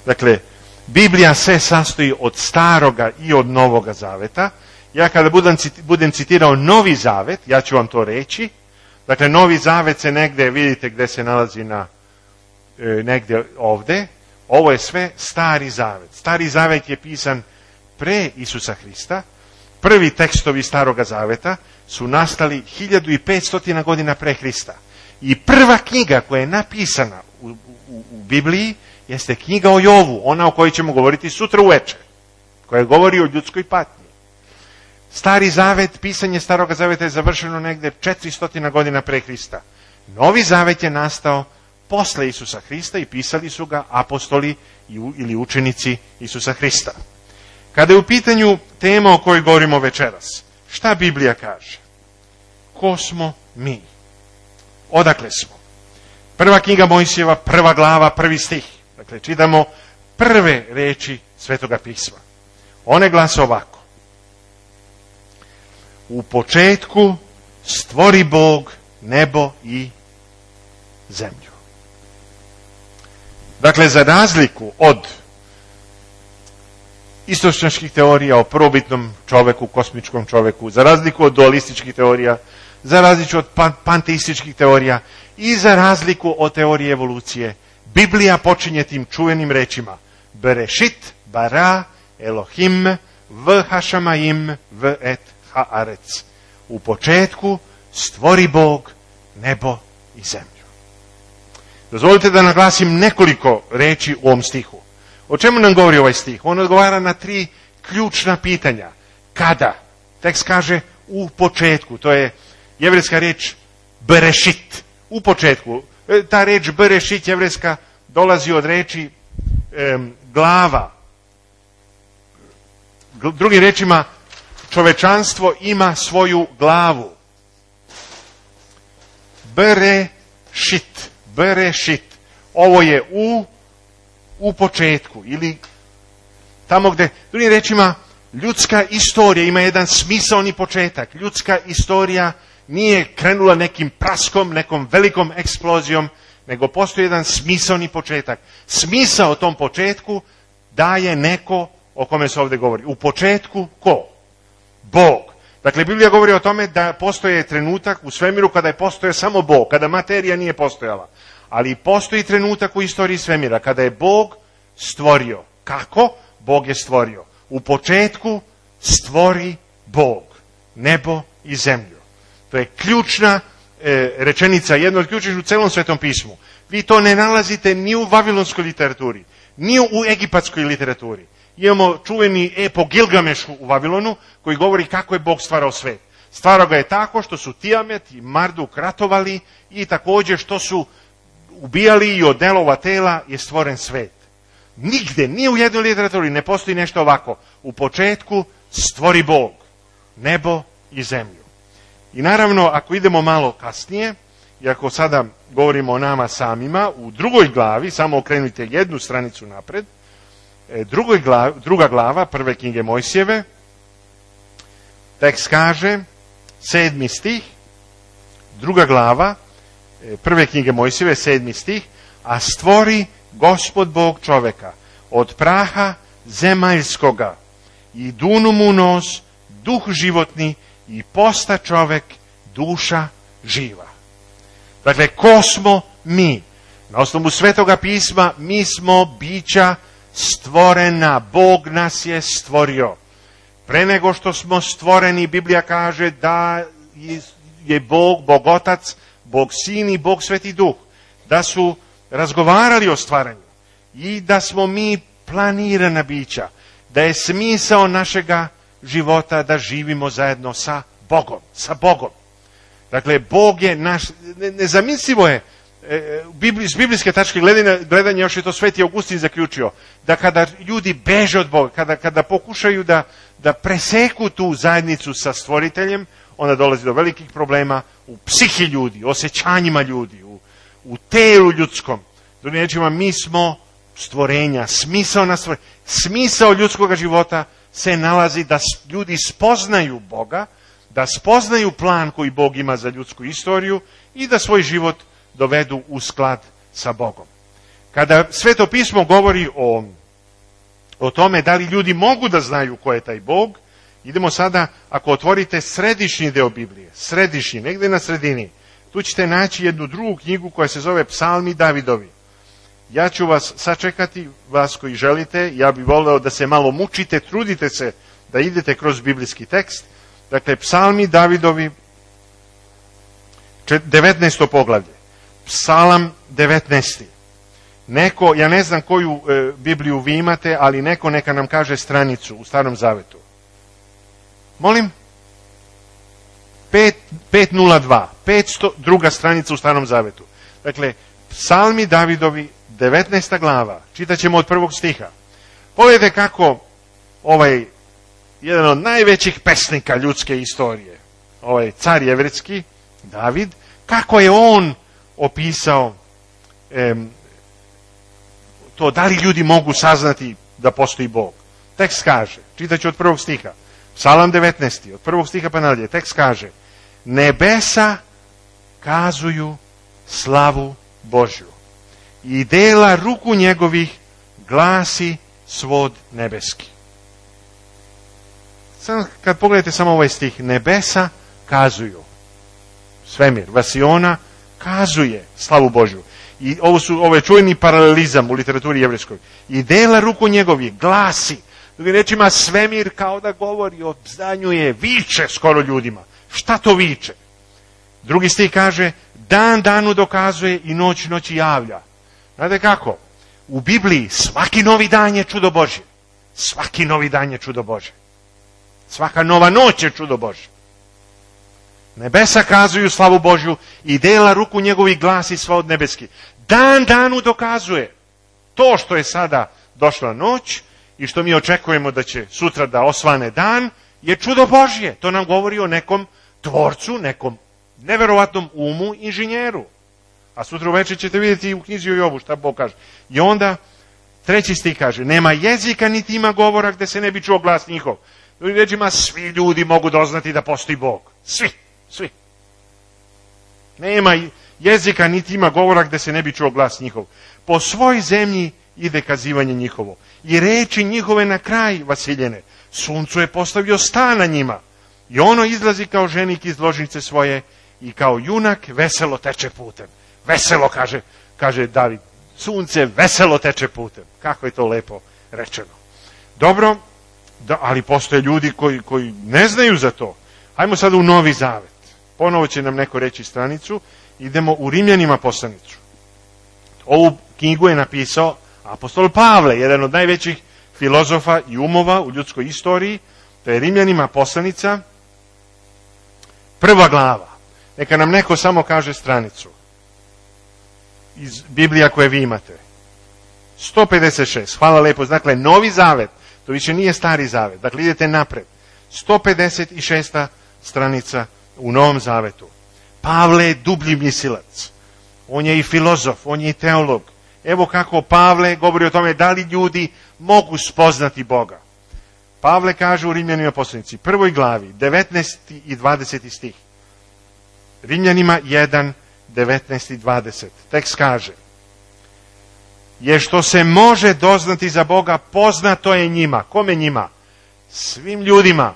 Dakle, Biblija se sastoji od Staroga i od Novoga zaveta. Ja kada budem, budem citirao Novi zavet, ja ću vam to reći. Dakle, Novi zavet se negdje, vidite gdje se nalazi na e, negdje ovdje. Ovo je sve Stari zavet. Stari zavet je pisan pre Isusa Hrista. Prvi tekstovi Staroga zaveta su nastali hiljadu petsto godina pre Hrista. I prva knjiga koja je napisana u, u, u Bibliji jeste knjiga o Jovu, ona o kojoj ćemo govoriti sutra uveče, koja govori o ljudskoj patnji. Stari zavet, pisanje Staroga zaveta je završeno negdje četiristo godina pre Hrista. Novi zavet je nastao posle Isusa Hrista i pisali su ga apostoli ili učenici Isusa Hrista. Kada je u pitanju tema o kojoj govorimo večeras, šta Biblija kaže? Ko smo mi? Odakle smo? Prva knjiga Mojsijeva, prva glava, prvi stih. Dakle, čitamo prve reči Svetoga pisma. One glase ovako. U početku stvori Bog nebo i zemlju. Dakle, za razliku od istočnjačkih teorija o prvobitnom čoveku, kosmičkom čoveku, za razliku od dualističkih teorija, za razliku od pan- panteističkih teorija i za razliku od teorije evolucije, Biblija počinje tim čuvenim rečima Berešit, bara, Elohim, v hašamaim, v et haaretz. U početku stvori Bog nebo i zemlju. Dozvolite da naglasim nekoliko reči u ovom stihu. O čemu nam govori ovaj stih? On odgovara na tri ključna pitanja. Kada? Tekst kaže u početku. To je jevrejska riječ berešit. U početku. Ta riječ berešit jevrejska dolazi od riječi e, glava. Drugim riječima, čovečanstvo ima svoju glavu. Berešit. Berešit. Ovo je u u početku, ili tamo gdje, drugim rečima, ljudska istorija ima jedan smisaoni početak. Ljudska istorija nije krenula nekim praskom, nekom velikom eksplozijom, nego postoji jedan smisaoni početak. Smisao tom početku daje neko o kome se ovdje govori. U početku ko? Bog. Dakle, Biblija govori o tome da postoje trenutak u svemiru kada je postojao samo Bog, kada materija nije postojala. Ali postoji trenutak u istoriji svemira kada je Bog stvorio. Kako? Bog je stvorio. U početku stvori Bog nebo i zemlju. To je ključna e, rečenica, jedna od ključnih u celom Svetom pismu. Vi to ne nalazite ni u vavilonskoj literaturi, ni u egipatskoj literaturi. Imamo čuveni epo Gilgamešu u Vavilonu koji govori kako je Bog stvarao svet. Stvarao ga je tako što su Tiamet i Marduk ratovali i također što su ubijali i od delova tela je stvoren svet. Nigde, ni u jednoj literaturi ne postoji nešto ovako. U početku stvori Bog nebo i zemlju. I naravno, ako idemo malo kasnije, i ako sada govorimo o nama samima, u drugoj glavi, samo okrenite jednu stranicu napred, drugoj glavi, druga glava prve knjige Mojsijeve, tekst kaže, sedmi stih, druga glava, prve knjige Mojsijeve, sedmi stih, a stvori Gospod Bog čoveka od praha zemaljskoga i dunu mu nos duh životni i posta čovek duša živa. Dakle, ko smo mi? Na osnovu Svetoga pisma mi smo bića stvorena. Bog nas je stvorio. Pre nego što smo stvoreni, Biblija kaže da je Bog, Bog Otac, Bog Sin i Bog Sveti Duh, da su razgovarali o stvaranju i da smo mi planirana bića, da je smisao našega života da živimo zajedno sa Bogom, sa Bogom. Dakle, Bog je naš, nezamislivo je, s biblijske tačke gledanja, gledanja još je to Sveti Augustin zaključio, da kada ljudi beže od Boga, kada, kada pokušaju da, da preseku tu zajednicu sa stvoriteljem, onda dolazi do velikih problema u psihi ljudi, osjećanjima ljudi, u, u telu ljudskom. Drugim rečima, mi smo stvorenja, smisao na stvorenja. Smisao ljudskog života se nalazi da ljudi spoznaju Boga, da spoznaju plan koji Bog ima za ljudsku istoriju i da svoj život dovedu u sklad sa Bogom. Kada Sveto pismo govori o, o tome da li ljudi mogu da znaju ko je taj Bog, idemo sada, ako otvorite središnji deo Biblije, središnji, negde na sredini, tu ćete naći jednu drugu knjigu koja se zove Psalmi Davidovi. Ja ću vas sačekati, vas koji želite, ja bih voleo da se malo mučite, trudite se da idete kroz biblijski tekst. Dakle, Psalmi Davidovi, devetnaesto poglavlje. Psalam devetnaesti. Neko, ja ne znam koju e, Bibliju vi imate, ali neko neka nam kaže stranicu u Starom Zavetu. Molim? pet nula dva. petsto druga stranica u Starom Zavetu. Dakle, Psalmi Davidovi, devetnaesta glava. Čitaćemo od prvog stiha. Pogledajte kako ovaj, jedan od najvećih pesnika ljudske istorije, ovaj car jevretski, David, kako je on opisao em, to da li ljudi mogu saznati da postoji Bog. Tekst kaže, čitaću od prvog stiha, Psalam devetnaesti, od prvog stiha pa nadalje, tekst kaže, nebesa kazuju slavu Božju i dela ruku njegovih glasi svod nebeski. Sad kad pogledate samo ovaj stih, nebesa kazuju, svemir, vasiona, kazuje slavu Božju. I ovo su, ovo je čujni paralelizam u literaturi jevrejskoj. I dela ruku njegovih glasi. Drugim rečima, svemir kao da govori, obznanjuje, viče skoro ljudima. Šta to viče? Drugi stih kaže, dan danu dokazuje i noć noći javlja. Znate kako? U Bibliji svaki novi dan je čudo Božje. Svaki novi dan je čudo Božje. Svaka nova noć je čudo Božje. Nebesa kazuju slavu Božju i dela ruku njegovih glasi sva od nebeski. Dan danu dokazuje. To što je sada došla noć i što mi očekujemo da će sutra da osvane dan je čudo Božje. To nam govori o nekom tvorcu, nekom neverovatnom umu, inženjeru. A sutra uveče ćete vidjeti u knjizi o Jobu šta Bog kaže. I onda treći stih kaže, nema jezika niti ima govora gde se ne bi čuo glas njihov. Drugim rečima, svi ljudi mogu doznati da postoji Bog. Svi, svi. Nema jezika niti ima govora gde se ne bi čuo glas njihov. Po svoj zemlji ide kazivanje njihovo. I reči njihove na kraj vasiljene. Suncu je postavio stan na njima. I ono izlazi kao ženik iz ložnice svoje i kao junak veselo teče putem. Veselo, kaže, kaže David. Sunce veselo teče putem. Kako je to lepo rečeno. Dobro, da, ali postoje ljudi koji, koji ne znaju za to. Hajmo sada u Novi Zavet. Ponovo će nam neko reći stranicu. Idemo u Rimljanima poslanicu. Ovu knjigu je napisao apostol Pavle, jedan od najvećih filozofa i umova u ljudskoj istoriji. To je Rimljanima poslanica, prva glava. Neka nam neko samo kaže stranicu iz Biblija koje vi imate. sto pedeset šest, hvala lepo. Dakle, Novi Zavet, to više nije Stari Zavet. Dakle, idete napred. sto pedeset šesta stranica u Novom Zavetu. Pavle je dublji mislilac. On je i filozof, on je i teolog. Evo kako Pavle govori o tome da li ljudi mogu spoznati Boga. Pavle kaže u Rimljanima poslanici, prvoj glavi, devetnaesti i dvadeseti stih. Rimljanima jedan, devetnaest i dvadeset. Tekst kaže, je što se može doznati za Boga, poznato je njima. Kome njima? Svim ljudima.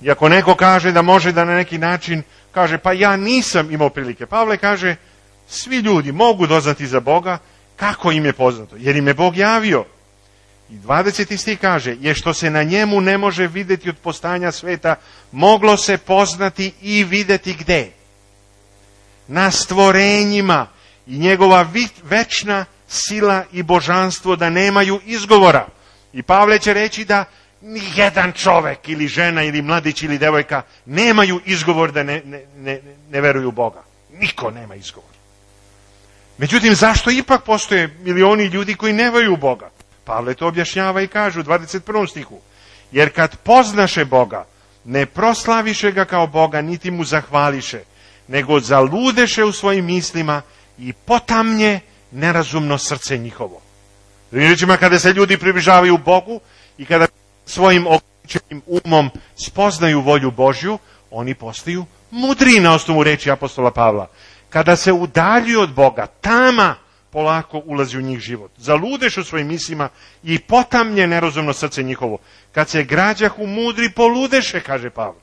I ako neko kaže da može da na neki način kaže, pa ja nisam imao prilike. Pavle kaže, svi ljudi mogu doznati za Boga. Kako im je poznato? Jer im je Bog javio. I dvadeseti stih kaže, je što se na njemu ne može vidjeti od postojanja sveta, moglo se poznati i vidjeti gde? Na stvorenjima. I njegova večna sila i božanstvo da nemaju izgovora. I Pavle će reći da ni jedan čovek ili žena ili mladić ili devojka nemaju izgovor da ne, ne, ne, ne veruju u Boga. Niko nema izgovor. Međutim, zašto ipak postoje milioni ljudi koji ne veruju u Boga? Pavle to objašnjava i kaže u dvadeset prvom stihu. Jer kad poznaše Boga, ne proslaviše ga kao Boga, niti mu zahvališe, nego zaludeše u svojim mislima i potamnje nerazumno srce njihovo. Drugim rečima, kada se ljudi približavaju Bogu i kada svojim ograničenim umom spoznaju volju Božju, oni postaju mudri na osnovu reči apostola Pavla. Kada se udaljuju od Boga, tama polako ulazi u njih život. Zaludeš u svojim mislima i potamnje nerazumno srce njihovo. Kad se građahu mudri, poludeše, kaže Pavle.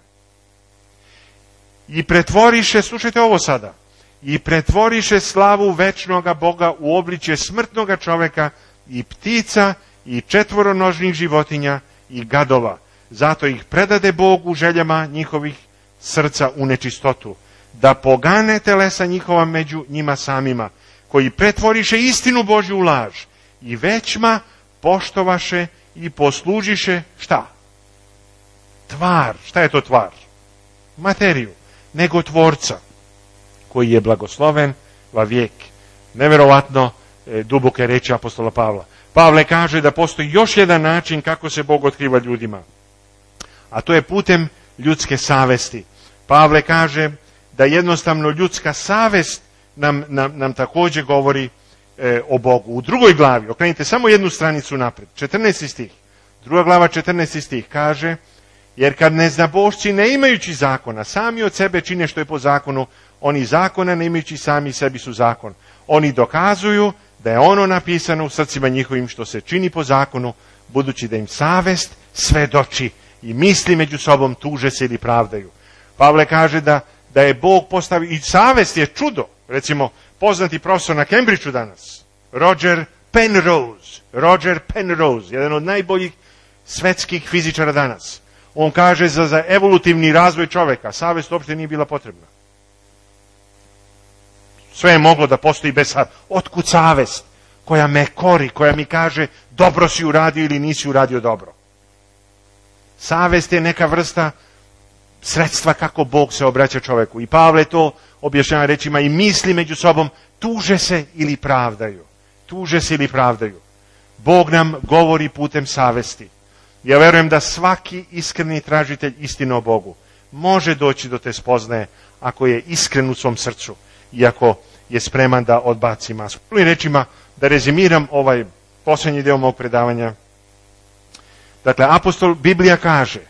I pretvoriše, slušajte ovo sada, i pretvoriše slavu večnoga Boga u obličje smrtnoga čoveka i ptica i četvoronožnih životinja i gadova. Zato ih predade Bogu željama njihovih srca u nečistotu, da pogane telesa njihova među njima samima, koji pretvoriše istinu Božju u laž i većma poštovaše i poslužiše šta? Tvar. Šta je to tvar? Materiju. Nego tvorca, koji je blagosloven va vijek. Neverovatno e, duboke reči apostola Pavla. Pavle kaže da postoji još jedan način kako se Bog otkriva ljudima. A to je putem ljudske savesti. Pavle kaže da jednostavno ljudska savest nam, nam, nam također govori e, o Bogu. U drugoj glavi, okrenite samo jednu stranicu napred, četrnaesti stih. Druga glava, četrnaesti stih kaže, jer kad neznabošci ne imajući zakona, sami od sebe čine što je po zakonu, oni zakona ne imajući sami sebi su zakon. Oni dokazuju da je ono napisano u srcima njihovim što se čini po zakonu, budući da im savest svedoči i misli među sobom tuže se ili pravdaju. Pavle kaže da, da je Bog postavio, i savest je čudo. Recimo, poznati profesor na Cambridgeu danas, Roger Penrose, Roger Penrose, jedan od najboljih svetskih fizičara danas. On kaže za, za evolutivni razvoj čoveka savest uopšte nije bila potrebna. Sve je moglo da postoji bez savesti. Otkud savest koja me kori, koja mi kaže dobro si uradio ili nisi uradio dobro? Savest je neka vrsta sredstva kako Bog se obraća čoveku. I Pavle to objašnjava rečima i misli među sobom tuže se ili pravdaju. Tuže se ili pravdaju. Bog nam govori putem savesti. Ja verujem da svaki iskreni tražitelj istine o Bogu može doći do te spoznaje ako je iskren u svom srcu i ako je spreman da odbaci masku. Drugim rečima, da rezimiram ovaj posljednji deo mog predavanja. Dakle, apostol Biblija kaže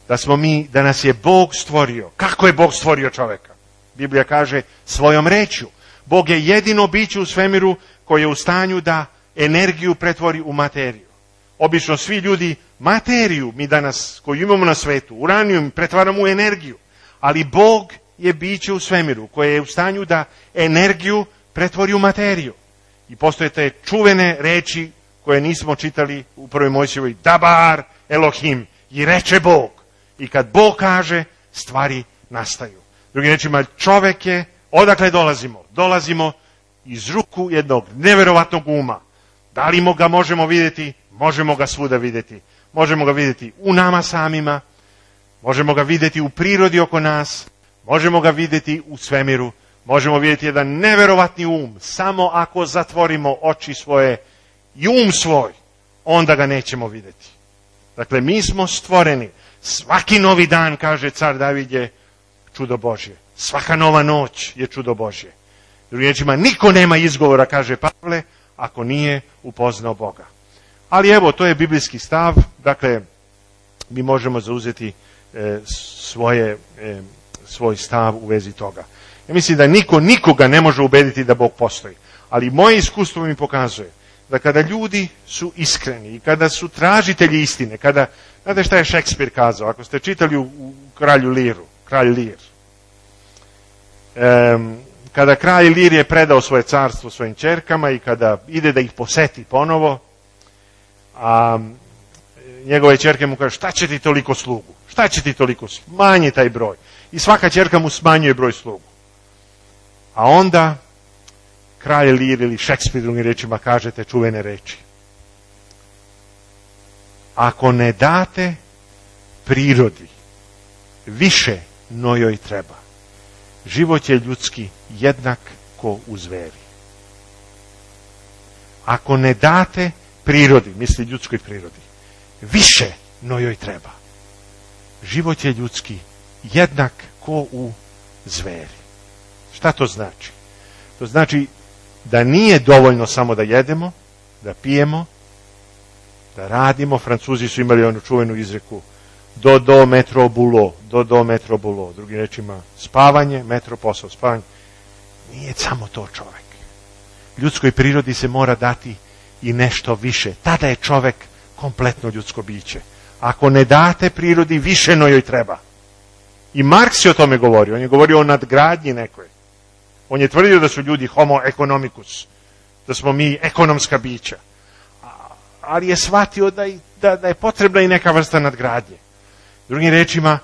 da smo mi, da nas je Bog stvorio. Kako je Bog stvorio čoveka? Biblija kaže svojom rečju. Bog je jedino biće u svemiru koje je u stanju da energiju pretvori u materiju. Obično svi ljudi materiju mi danas koju imamo na svetu, uranijum pretvaramo u energiju. Ali Bog je biće u svemiru koje je u stanju da energiju pretvori u materiju. I postoje te čuvene reči koje nismo čitali u prvoj Mojsijevoj, Dabar Elohim, i reče Bog. I kad Bog kaže, stvari nastaju. Drugim rečima, čovek je, odakle dolazimo? Dolazimo iz ruku jednog neverovatnog uma. Da li ga možemo vidjeti? Možemo ga svuda vidjeti. Možemo ga vidjeti u nama samima, možemo ga vidjeti u prirodi oko nas, možemo ga vidjeti u svemiru, možemo vidjeti jedan neverovatni um. Samo ako zatvorimo oči svoje i um svoj, onda ga nećemo vidjeti. Dakle, mi smo stvoreni. Svaki novi dan, kaže car David, je čudo Božje. Svaka nova noć je čudo Božje. Drugim riječima, niko nema izgovora, kaže Pavle, ako nije upoznao Boga. Ali evo, to je biblijski stav, dakle, mi možemo zauzeti e, svoje, e, svoj stav u vezi toga. Ja mislim da niko nikoga ne može ubediti da Bog postoji. Ali moje iskustvo mi pokazuje da kada ljudi su iskreni i kada su tražitelji istine, kada, znate šta je Šekspir kazao, ako ste čitali u, u Kralju Liru, Kralj Lir, um, kada kralj Lir je predao svoje carstvo svojim ćerkama i kada ide da ih poseti ponovo, a njegove ćerke mu kaže, šta će ti toliko slugu? Šta će ti toliko? Smanji taj broj. I svaka ćerka mu smanjuje broj slugu. A onda kralj Lir ili Šekspir drugim rečima kaže te čuvene reči. Ako ne date prirodi više no joj treba, život je ljudski jednak ko u zveri. Ako ne date prirodi, misli ljudskoj prirodi, više no joj treba, život je ljudski jednak ko u zveri. Šta to znači? To znači da nije dovoljno samo da jedemo, da pijemo, da radimo. Francuzi su imali onu čuvenu izreku do do metro bulo, do do metro bulo. Drugim rečima, spavanje, metro posao, spavanje. Nije samo to čovek. Ljudskoj prirodi se mora dati i nešto više. Tada je čovek kompletno ljudsko biće. Ako ne date prirodi, više no joj treba. I Marks je o tome govorio. On je govorio o nadgradnji nekoj. On je tvrdio da su ljudi homo economicus, da smo mi ekonomska bića. Ali je shvatio da, da, da je potrebna i neka vrsta nadgradnje. Drugim rečima,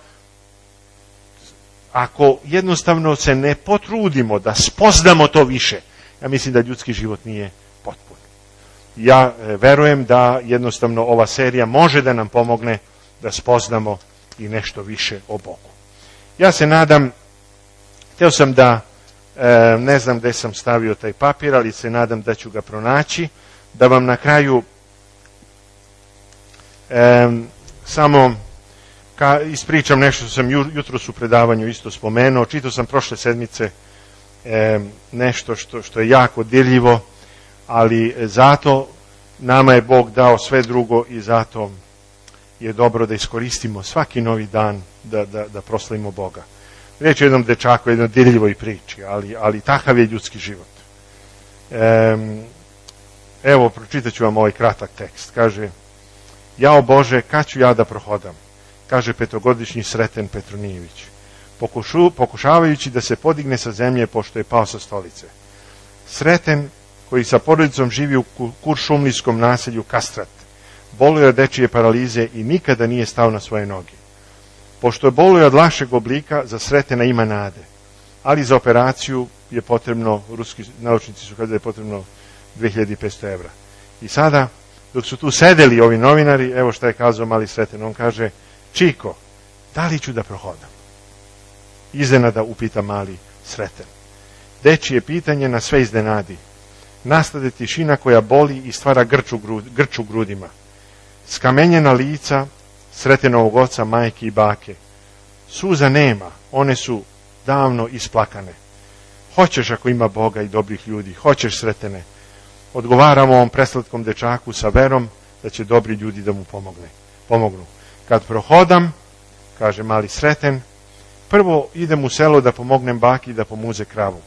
ako jednostavno se ne potrudimo da spoznamo to više, ja mislim da ljudski život nije potpun. Ja e, verujem da jednostavno ova serija može da nam pomogne da spoznamo i nešto više o Bogu. Ja se nadam, hteo sam da, e, ne znam gde sam stavio taj papir, ali se nadam da ću ga pronaći, da vam na kraju e, samo ka, ispričam nešto što sam ju, jutros u predavanju isto spomenuo. Čitao sam prošle sedmice e, nešto što, što je jako dirljivo, ali zato nama je Bog dao sve drugo i zato je dobro da iskoristimo svaki novi dan da, da, da proslavimo Boga. Riječ je o jednom dečaku, jednoj dirljivoj priči, ali, ali takav je ljudski život. E, evo, pročitat ću vam ovaj kratak tekst. Kaže, jao Bože, kad ću ja da prohodam? Kaže petogodišnji Sreten Petronijević, pokušu, pokušavajući da se podigne sa zemlje pošto je pao sa stolice. Sreten, koji sa porodicom živi u kuršumlijskom naselju Kastrat, boluje od dečije paralize i nikada nije stao na svoje noge. Pošto je boluje od lakšeg oblika, za Sretena ima nade, ali za operaciju je potrebno, ruski naučnici su kazali da je potrebno dve hiljade petsto evra. I sada, dok su tu sedeli ovi novinari, evo šta je kazao mali Sreten, on kaže, Čiko, da li ću da prohodam? Iznenada upita mali Sreten. Dečije pitanje na sve iznenadi. Nastade tišina koja boli i stvara grču, grču grudima. Skamenjena lica Sretenovog oca, majke i bake. Suza nema, one su davno isplakane. Hoćeš ako ima Boga i dobrih ljudi, hoćeš Sretene. Odgovaramo ovom preslatkom dečaku sa verom da će dobri ljudi da mu pomogne. pomognu. Kad prohodam, kaže mali Sreten, prvo idem u selo da pomognem baki da pomuze kravu.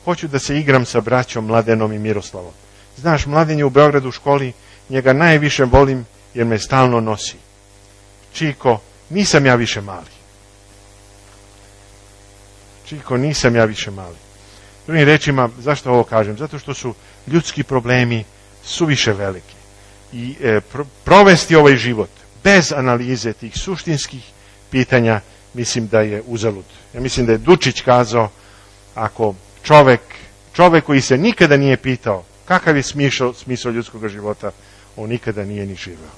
Hoću da se igram sa braćom Mladenom i Miroslavom. Znaš, Mladen je u Beogradu u školi, njega najviše volim jer me stalno nosi. Čiko, nisam ja više mali. Čiko, nisam ja više mali. Drugim rečima, zašto ovo kažem? Zato što su ljudski problemi suviše veliki. I e, pro, provesti ovaj život bez analize tih suštinskih pitanja, mislim da je uzalud. Ja mislim da je Dučić kazao, ako čovek, čovek koji se nikada nije pitao kakav je smisao, smisao ljudskog života, on nikada nije ni živeo.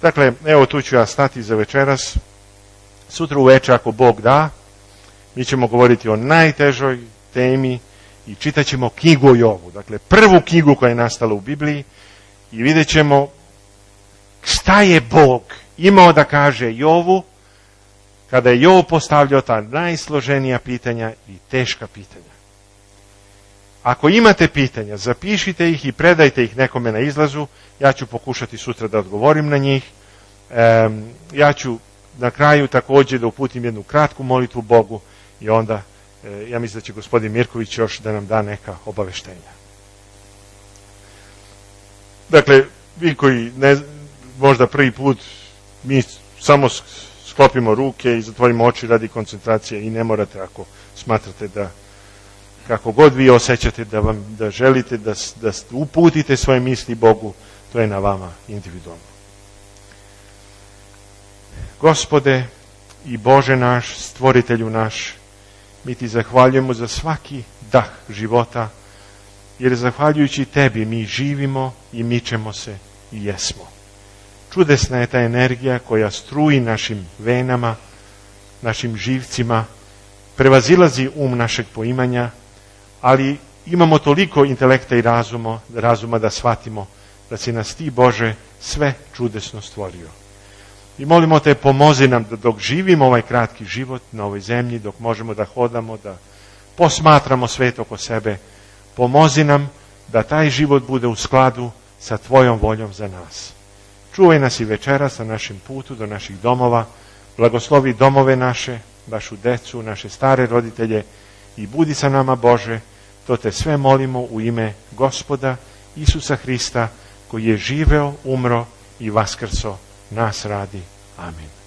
Dakle, evo tu ću ja stati za večeras. Sutra uveče, ako Bog da, mi ćemo govoriti o najtežoj temi i čitat ćemo knjigu o Jovu. Dakle, prvu knjigu koja je nastala u Bibliji i vidjet ćemo šta je Bog imao da kaže Jovu kada je Jov postavljao ta najsloženija pitanja i teška pitanja. Ako imate pitanja, zapišite ih i predajte ih nekome na izlazu. Ja ću pokušati sutra da odgovorim na njih. E, ja ću na kraju također da uputim jednu kratku molitvu Bogu i onda Ja mislim da će gospodin Mirković još da nam da neka obaveštenja. Dakle, vi koji ne, možda prvi put mi samo sklopimo ruke i zatvorimo oči radi koncentracije i ne morate ako smatrate da kako god vi osjećate da vam da želite da, da uputite svoje misli Bogu, to je na vama individualno. Gospode i Bože naš, stvoritelju naš, mi ti zahvaljujemo za svaki dah života, jer zahvaljujući tebi mi živimo i mičemo se i jesmo. Čudesna je ta energija koja struji našim venama, našim živcima, prevazilazi um našeg poimanja, ali imamo toliko intelekta i razuma, razuma da shvatimo da si nas ti, Bože, sve čudesno stvorio. I molimo te, pomozi nam da dok živimo ovaj kratki život na ovoj zemlji, dok možemo da hodamo, da posmatramo svet oko sebe, pomozi nam da taj život bude u skladu sa tvojom voljom za nas. Čuvaj nas i večeras na našem putu do naših domova, blagoslovi domove naše, vašu decu, naše stare roditelje i budi sa nama, Bože, to te sve molimo u ime Gospoda Isusa Hrista, koji je živeo, umro i vaskrso nas radi. Amin.